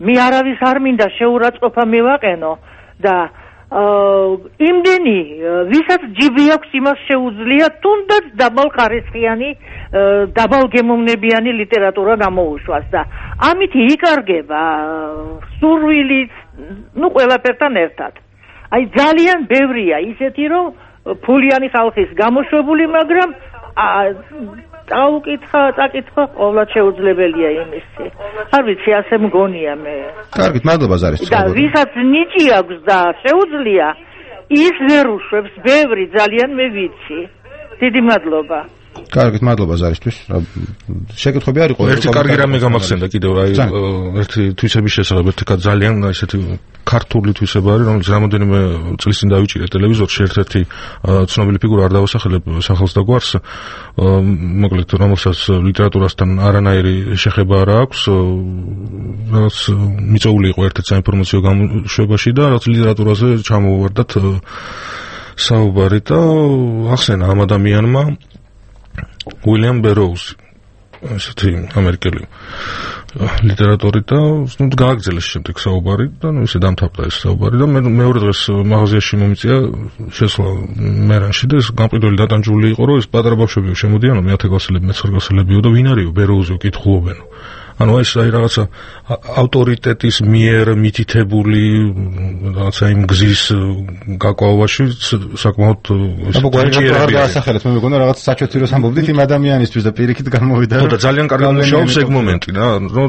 მე არავის არ მინდა შეურაცხყოფა მივაყენო და იმდენი ვისაც ჯიბი აქვს იმას შეუძლია თუნდაც დაბალხარისხიანი დაბალგემოვნებიანი ლიტერატურა გამოუშვას და ამით იკარგება სურვილიც ნუ ყველაფერთან ერთად. აი ძალიან ბევრია ისეთი რომ ფულიანი ხალხის გამოშვებული, მაგრამ დაუკითხა, წაკითხა ყოველად შეუძლებელია იმისი. არ ვიცი, ასე მგონია მე. კარგით, მადლობა ზარისთვის. და ვისაც ნიჭი აქვს და შეუძლია, ის ვერ უშვებს, ბევრი ძალიან მე ვიცი. დიდი მადლობა. კარგით, მადლობა ზარისთვის. შეკითხვები არ იყო? ერთი კარგი რამე გამახსენდა კიდევ, აი ერთი თვისების შესახებ, ერთი ძალიან ესეთი ქართული თვისება არის, რომელიც რამოდენიმე წლის წინ დავიჭირე ტელევიზორში, ერთ-ერთი ცნობილი ფიგურა არ დავასახელებ სახელს და გვარს, მოკლედ რომელსაც ლიტერატურასთან არანაირი შეხება არ აქვს, რაც მიწვეული იყო ერთ-ერთ საინფორმაციო გამოშვებაში და რაც ლიტერატურაზე ჩამოვარდათ საუბარი და ახსენა ამ ადამიანმა უილიამ ბეროუზი, ესეთი ამერიკელი ლიტერატორი და ნუ გააგრძელეს შემდეგ საუბარი და ნუ ისე დამთავრდა ეს საუბარი და მე მეორე დღეს მაღაზიაში მომიწია შესვლა მერანში და ეს გამყიდველი დატანჯული იყო, რომ ეს პატარა ბავშვებიო შემოდიანო მეათე კლასელებიო, მეცხრე კლასელებიო და ვინ არისო ბეროუზიო კითხულობენო. ანუ ეს აი რაღაცა ავტორიტეტის მიერ მითითებული რაღაცა იმ გზის გაკვავაში საკმაოდ აბა გვარი დაასახელეთ, მე მეგონა რაღაც საჩოთიროს ამბობდით იმ ადამიანისთვის და პირიქით გამოვიდა. ხო და ძალიან კარგად მუშაობს ეგ მომენტი რა, რომ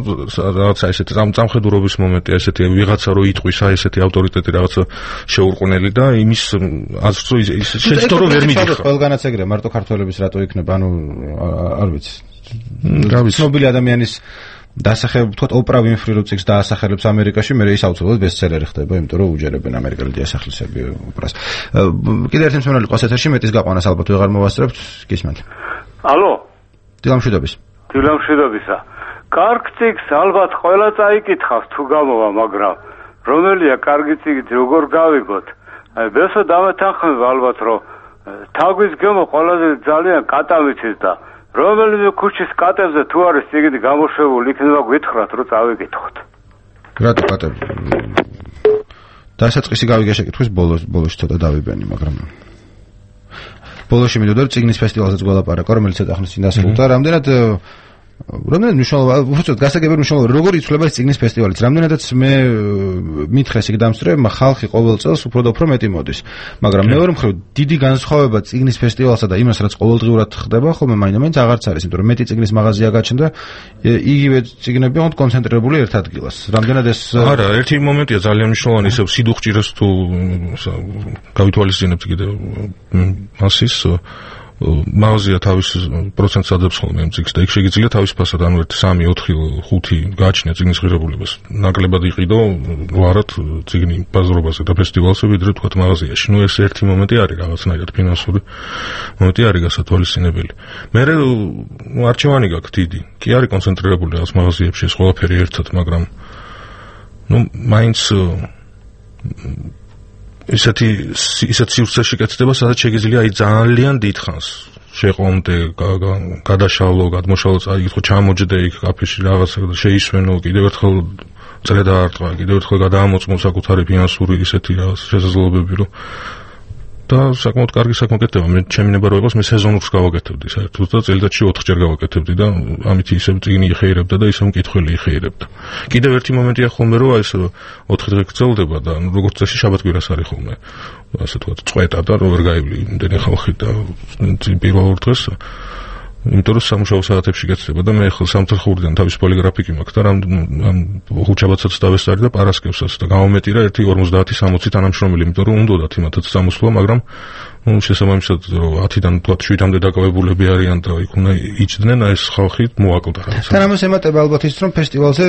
რაღაცა ესეთი სამხედროების მომენტი, ესეთი ვიღაცა რო იტყვის, აი ესეთი ავტორიტეტი რაღაცა შეურყვნელი და იმის აზრს რომ შეცდო რომ ვერ მიდიხარ. ყველგანაც ეგრეა, მარტო ქართველების რატო იქნება, ანუ არ ვიცი. ცნობილი ადამიანის დასახელება, თქვათ, ოპრა ვინფრი რო წიგს დაასახელებს ამერიკაში, მე ის აუცილებლად ბესტსელერი ხდება, იმიტომ რომ უჯერებენ ამერიკელი დიასახლისები ოპრას. კიდევ ერთი მსმენელი ყავს ეთერში, მეტის გაყვანას ალბათ ვეღარ მოვასწრებთ, გისმენთ. ალო? დილამშვიდობის. დილამშვიდობისა. კარგ წიგს ალბათ ყველა წაიკითხავს თუ გამოვა, მაგრამ რომელია კარგი წიგი, როგორ გავიგოთ? აი, ბესო დავეთანხმებ ალბათ, რომ თაგვის გემო ყველაზე ძალიან კატავიცის და რომელიმე ქუჩის კატებზე თუ არის წიგნი გამოშვებული, იქნება გვითხრათ, რომ წავიკითხოთ. რატო კატები? დასაწყისი გავიგე შეკითხვის ბოლოს, ბოლოში ცოტა დავიბენი, მაგრამ ბოლოში მინდოდა წიგნის ფესტივალზეც გველაპარაკო, რომელიც ეთახმის წინ დასრულდა, რამდენად რამდენად მნიშვნელოვანი, უბრალოდ გასაგებია მნიშვნელოვანი, როგორ იცვლება ეს წიგნის ფესტივალიც, რამდენადაც მე მითხეს იქ დამსწრებმა, ხალხი ყოველ წელს უფრო და უფრო მეტი მოდის, მაგრამ მეორე მხრივ დიდი განსხვავება წიგნის ფესტივალსა და იმას, რაც ყოველდღიურად ხდება, ხოლმე მაინდა-მაინც აღარც არის, იმიტომ რომ მეტი წიგნის მაღაზია გაჩნდა, იგივე წიგნები ოღონდ კონცენტრირებული ერთ ადგილას. რამდენად ეს არა, ერთი მომენტია ძალიან მნიშვნელოვანი, ისევ სიდუხჭირეს თუ გავითვალისწინებთ კიდევ მასის მაღაზია თავის პროცენტს ადებს ხოლმე ამ წიგნს და იქ შეგიძლია თავის ფასად ანუ ერთი სამი ოთხი ხუთი გააჩნია წიგნის ღირებულებას ნაკლებად იყიდო ვარად წიგნი ბაზრობაზე და ფესტივალზე ვიდრე თქვათ მაღაზიაში ნუ ეს ერთი მომენტი არის რაღაცნაირად ფინანსური მომენტი არის გასათვალისწინებელი მე ნუ არჩევანი გაქვს დიდი კი არის კონცენტრირებული რაღაც მაღაზიებში ეს ყველაფერი ერთად მაგრამ ნუ მაინც ისეთი ისეთ სივრცეში კეთდება, სადაც შეგიძლია აი ძალიან დიდხანს შეყვომდე, გადაშალო, გადმოშალო, აი ხო ჩამოჯდე იქ კაფეში რაღაცა და შეისვენო, კიდევ ერთხელ წრე დაარტყა, კიდევ ერთხელ გადაამოწმო საკუთარი ფინანსური ისეთი რაღაც შესაძლებლობები, რომ და საკმაოდ კარგი საქმე გეთება. მე ჩემი ნება რო იყოს, მე სეზონურს გავაკეთებდი საერთოდ და წელიწადში ოთხჯერ გავაკეთებდი და ამით ისევ წიგნი იხეირებდა და ისევ მკითხველი იხეირებდა. კიდევ ერთი მომენტია ხოლმე, რომ ეს ოთხი დღე გრძელდება და როგორც წესი შაბათ-კვირას არის ხოლმე. ასე თქვა, წვეტა და რო ვერ გაივლი იმდენი ხალხი და პირველ დღეს იმიტომ რომ სამუშაო საათებში გეცდება და მე ახლა სამთხრხურიდან თავისუფალი გრაფიკი მაქვს და რამ ხუთშაბათსაც დავესწარი და პარასკევსაც და გამომეტირა ერთი ორმოცდაათი სამოცი თანამშრომელი, იმიტომ რომ უნდათ იმათაც სამოსვლა, მაგრამ ну შესაბამისად რომ ათიდან თქვა შვიდამდე დაკავებულები არიან და იქ უნდა იჭდნენ ეს ხალხი მოაკლდა რაღაცა. თან ამას ემატება ალბათ ის რომ ფესტივალზე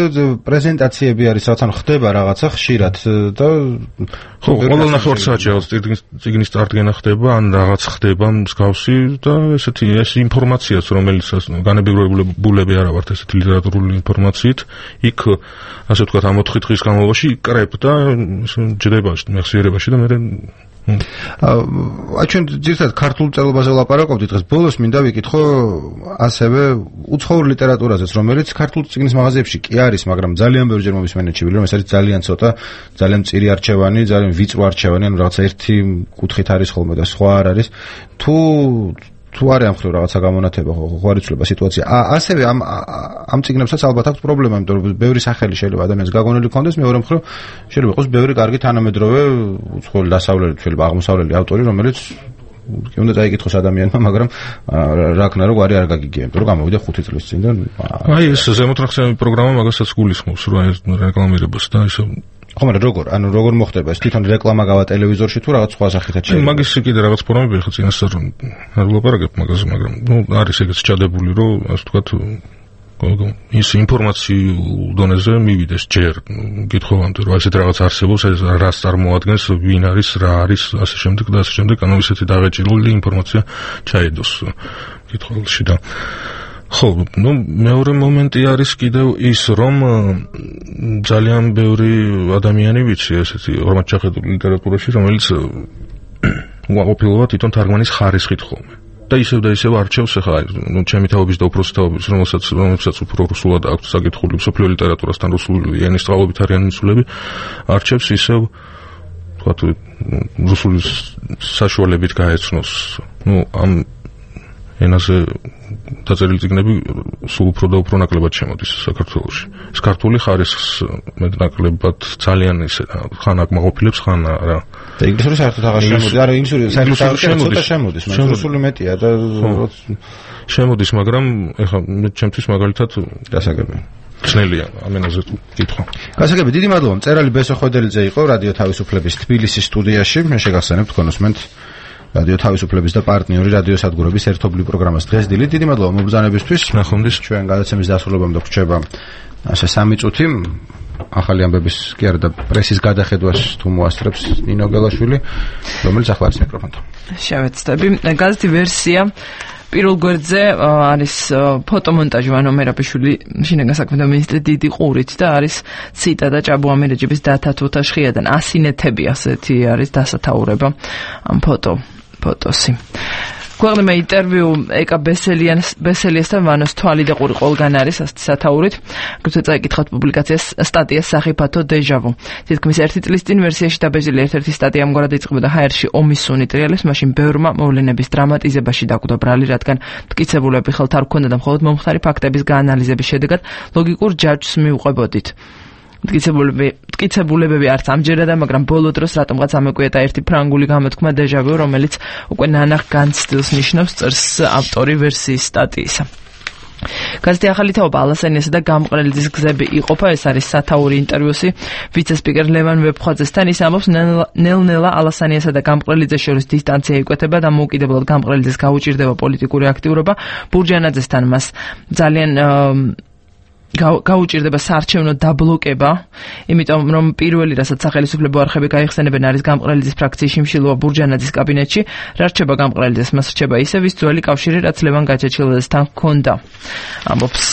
პრეზენტაციები არის რაღაც ან ხდება რაღაცა ხშირად და ხო ყოველ ნახევარსაათში რაღაც წიგნის წარდგენა ხდება ან რაღაც ხდება მსგავსი და ესეთი ეს ინფორმაციაც რომელიც განებებულები არა ვართ ესეთი ლიტერატურული ინფორმაციით იქ ასე ვთქვათ ამ ოთხი დღის განმავლობაში კრებდა ჯდება მეხსიერებაში და მე აა ჩვენ ძირითადად ქართულ წერილობაზე ვლაპარაკობდით დღეს ბოლოს მინდა ვიკითხო ასევე უცხოურ ლიტერატურაზეც რომელიც ქართულ წიგნის მაღაზიებში კი არის მაგრამ ძალიან ბევრჯერ მომისმენეთშივილი რომ ეს არის ძალიან ცოტა ძალიან მწირი არჩევანი ძალიან ვიწრო არჩევანი ანუ რაღაცა ერთი კუთხით არის ხოლმე და სხვა არ არის თუ თუ არის ამ ხრივ რაღაცა გამონათება ხო არ იცვლება სიტუაცია ასევე ამ ამ წიგნებსაც ალბათ აქვს პრობლემა იმიტომ რომ ბევრი სახელი შეიძლება ადამიანს გაგონილი ქონდეს მეორე მხრივ შეიძლება იყოს ბევრი კარგი თანამედროვე უცხოელი დასავლელი შეიძლება აღმოსავლელი ავტორი რომელიც კი უნდა დაიკითხოს ადამიანმა მაგრამ რაკნა რო გვარი არ გაგიგია იმიტომ რომ გამოვიდა ხუთი წლის წინ და აი ეს ზემოთნახსენები პროგრამა მაგასაც გულისხმობს რომ აი რეკლამირებას და ისე ხო მაგრამ როგორ ანუ როგორ მოხდება ეს თვითონ რეკლამა გავა ტელევიზორში თუ რაღაც სხვა სახითაც შეიძლება მაგის კიდე რაღაც ფორმები ხო წინასწარ არ ვლაპარაკებ მაგაზე მაგრამ ნუ არის ეგეც ჩადებული რომ ასე ვთქვათ ის ინფორმაციულ დონეზე მივიდეს ჯერ გითხოვამდე რომ ასეთ რაღაც არსებობს ეს რას წარმოადგენს ვინ არის რა არის ასე შემდეგ და ასე შემდეგ ანუ ისეთი დაღეჭირული ინფორმაცია ჩაედოს კითხულში და ხო, ну, მეორე მომენტი არის კიდევ ის, რომ ძალიან ბევრი ადამიანი ვიცი ესეთი ორმად ჩახედული ლიტერატურაში, რომელიც უყოფილოა თვითონ თარგმანის ხარისხით ხოლმე. და ისევ და ისევ არჩევს ახლა, ну, ჩემი თაობის და უფროსი თაობის, რომელსაც რომელსაც უფრო რუსულად აქვს საკითხული, სოფლიო ლიტერატურასთან რუსული ენის სწავლობით არიან მიცულები, არჩევს ისევ თქვათ რუსული საშუალებით გაეცნოს. ну, ამ ენაზე დაწერილი წიგნები სულ უფრო და უფრო ნაკლებად შემოდის საქართველოში. ეს ქართული ხარისხს მეტნაკლებად ძალიან ისე ხან აკმაყოფილებს, ხან არა. და ინგლისური საერთოდ აღარ შემოდის. არა, ინგლისური საერთოდ ცოტა შემოდის, მაგრამ რუსული მეტია და შემოდის, მაგრამ ეხლა მე ჩემთვის მაგალითად გასაგებია. ძნელია ამ ენაზე კითხვა. გასაგები, დიდი მადლობა. მწერალი ბესო ხვედელიძე იყო რადიო თავისუფლების თბილისის სტუდიაში. მე შეგახსენებთ კონსმენტ რადიო თავისუფლების და პარტნიორი რადიო სადგურების ერთობლივ პროგრამას დღეს დილით. დიდი მადლობა მობრძანებისთვის. ნახვამდის ჩვენ გადაცემის დასრულებამდე გვრჩება ასე სამი წუთი. ახალი ამბების კი არა და პრესის გადახედვას თუ მოასწრებს ნინო გელაშვილი, რომელიც ახლა არის მიკროფონთან. შევეცდები. გაზეთი ვერსია პირველ გვერდზე არის ფოტომონტაჟი ვანო მერაბიშვილი შინაგან საქმეთა მინისტრი დიდი ყურით და არის ციტატა ჭაბუ ამირეჯიბის დათა თუთაშხიადან ასინეთები ასეთი არის დასათაურება ამ ფოტო ფოტოსი. ქვეყნებმა ინტერვიუ ეკა ბესელიას ბესელიასთან ვანოს თვალი და ყური ყველგან არის ასეთი სათაურით. გუცე წაიკითხავთ პუბლიკაციას სტატიას სახიფათო დეჟავუ. თითქმის ერთი წლის წინ ვერსიაში დაბეჭდილი ერთ-ერთი სტატია ამგვარად იწყებოდა ჰაერში ომის სუნი ტრიალებს, მაშინ ბევრმა მოვლენების დრამატიზებაში დაკვდა ბრალი, რადგან მტკიცებულები ხელთ არ ჰქონდა და მხოლოდ მომხდარი ფაქტების გაანალიზების შედეგად ლოგიკურ ჯაჭვს მიუყვებოდით. მტკიცებულები მტკიცებულებები არც ამჯერადა, მაგრამ ბოლო დროს რატომღაც ამეკვიეტა ერთი ფრანგული გამოთქმა დეჟავუ, რომელიც უკვე ნანახ განცდილს ნიშნავს წერს ავტორი ვერსიის სტატიისა. გაზეთი ახალი თაობა ალასანიასა და გამყრელიძის გზები იყოფა. ეს არის სათაური ინტერვიუსი ვიცე-სპიკერ ლევან ვეფხვაძესთან. ის ამბობს, ნელ-ნელა ალასანიასა და გამყრელიძეს შორის დისტანცია იკვეთება და მოუკიდებლად გამყრელიძეს გაუჭირდება პოლიტიკური აქტიურობა. ბურჯანაძესთან მას ძალიან გაუჭირდება საარჩევნო დაბლოკება, იმიტომ რომ პირველი რასაც სახელმწიფო არხები გაიხსენებენ არის გამყრელიძის ფრაქციის შიმშილობა ბურჯანაძის კაბინეტში. რა რჩება გამყრელიძეს? მას რჩება ისე ვის ძველი კავშირი, რაც ლევან გაჩეჩილაძესთან ჰქონდა. ამბობს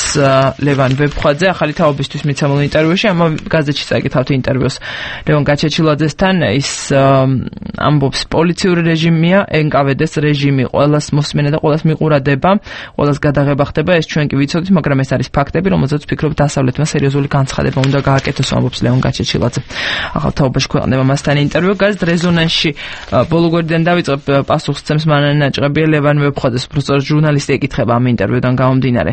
ლევან ვეფხვაძე ახალი თაობისთვის მიცემულ ინტერვიუში. ამ გაზეთში წაიკითხავთ ინტერვიუს ლევან გაჩეჩილაძესთან. ის ამბობს, პოლიციური რეჟიმია, ენ კა ვე დე-ს რეჟიმი ყველას მოსმენა და ყველას მიყურადება, ყველას გადაღება ხდება. ეს ჩვენ კი ვიცოდით, მაგრამ ეს არის ფაქტები, რომელზეც ვფიქრობ დასავლეთმა სერიოზული განცხადება უნდა გააკეთოს, ამბობს ლევან გაჩეჩილაძე. ახალ თაობაში ქვეყნდება მასთან ინტერვიუ. გაზეთ რეზონანსში ბოლო გვერდიდან დავიწყებ, პასუხს ცემს მანანა ნაჭყებია ლევან ვეფხვაძეს, უბრალოდ ჟურნალისტი ეკითხება ამ ინტერვიუდან გამომდინარე.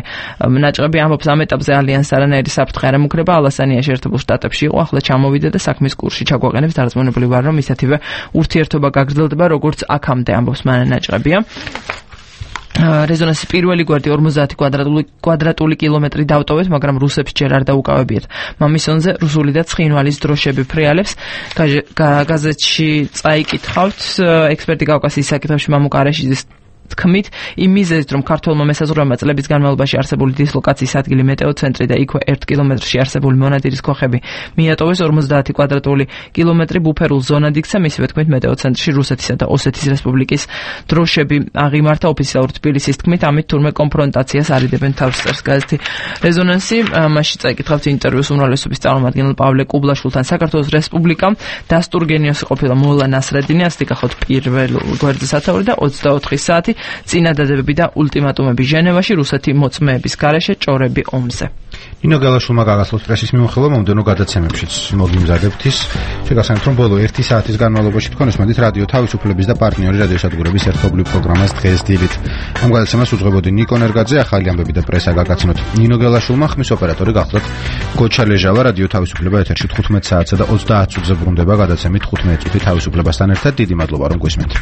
ნაჭყები ამბობს, ამ ეტაპზე ალიანს არანაირი საფრთხე არ ემუქრება, ალასანიაში ერთებულ შტატებში იყო, ახლა ჩამოვიდა და საქმის კურსში ჩაგვაყენებს. დარწმუნებული ვარ, რომ ისეთივე ურთიერთობა გაგრძელდება, როგორც აქამდე, ამბობს მანანა ნაჭყებია. რეზონანსი პირველი გვერდი ორმოცდაათი კვადრატული კვადრატული კილომეტრი დავტოვეთ, მაგრამ რუსებს ჯერ არ დაუკავებიათ. მამისონზე რუსული და ცხინვალის დროშები ფრიალებს. გაზეთში წაიკითხავთ, ექსპერტი კავკასიის საკითხებში მამუკ არეშიძის თქმით, იმ მიზეზით, რომ ქართველმა მესაზღვრეებმა წლების განმავლობაში არსებული დისლოკაციის ადგილი მეტეოცენტრი და იქვე ერთ კილომეტრში არსებული მონადირის ქოხები მიატოვეს, ორმოცდაათი კვადრატული კილომეტრი ბუფერულ ზონად იქცა. მისივე თქმით, მეტეოცენტრში რუსეთისა და ოსეთის რესპუბლიკის დროშები აღიმართა. ოფიციალურ თბილისის თქმით, ამით თურმე კონფრონტაციას არიდებენ თავს, წერს გაზეთი რეზონანსი. მასში წაიკითხავთ ინტერვიუს უმრავლესობის წარმომადგენელ პავლე კუბლაშვილთან. საქართველოს რესპუბლიკამ დასტურგენიოსი ყოფილა მოლა ნასრედინი, ასე გახოთ პირველ გვერდზე სათაური და ოცდაოთხი საათი წინადადებები და ულტიმატუმები ჟენევაში, რუსეთი მოწმეების გარეშე, ჭორები ომზე. ნინო გალაშვილმა გაგასწროს პრესის მიმოხილვა მომდევნო გადაცემებშიც მოგიმზადებთ ის. შეგახსენებთ, რომ ბოლო ერთი საათის განმავლობაში თქვენ უსმენთ რადიო თავისუფლების და პარტნიორი რადიოსადგურების ერთობლივ პროგრამას დღეს დილით. ამ გადაცემას უძღვებოდი ნიკო ნერგაძე, ახალი ამბები და პრესა გაგაცნოთ ნინო გალაშვილმა, ხმის ოპერატორი გახლდათ გოჩა ლეჟავა. რადიო თავისუფლება ეთერში თხუთმეტ საათსა და ოცდაათ წუთზე ბრუნდება გადაცემით თხუთმეტ წუთი თავისუფლებასთან ერთად. დიდი მადლობა რომ გვისმენთ.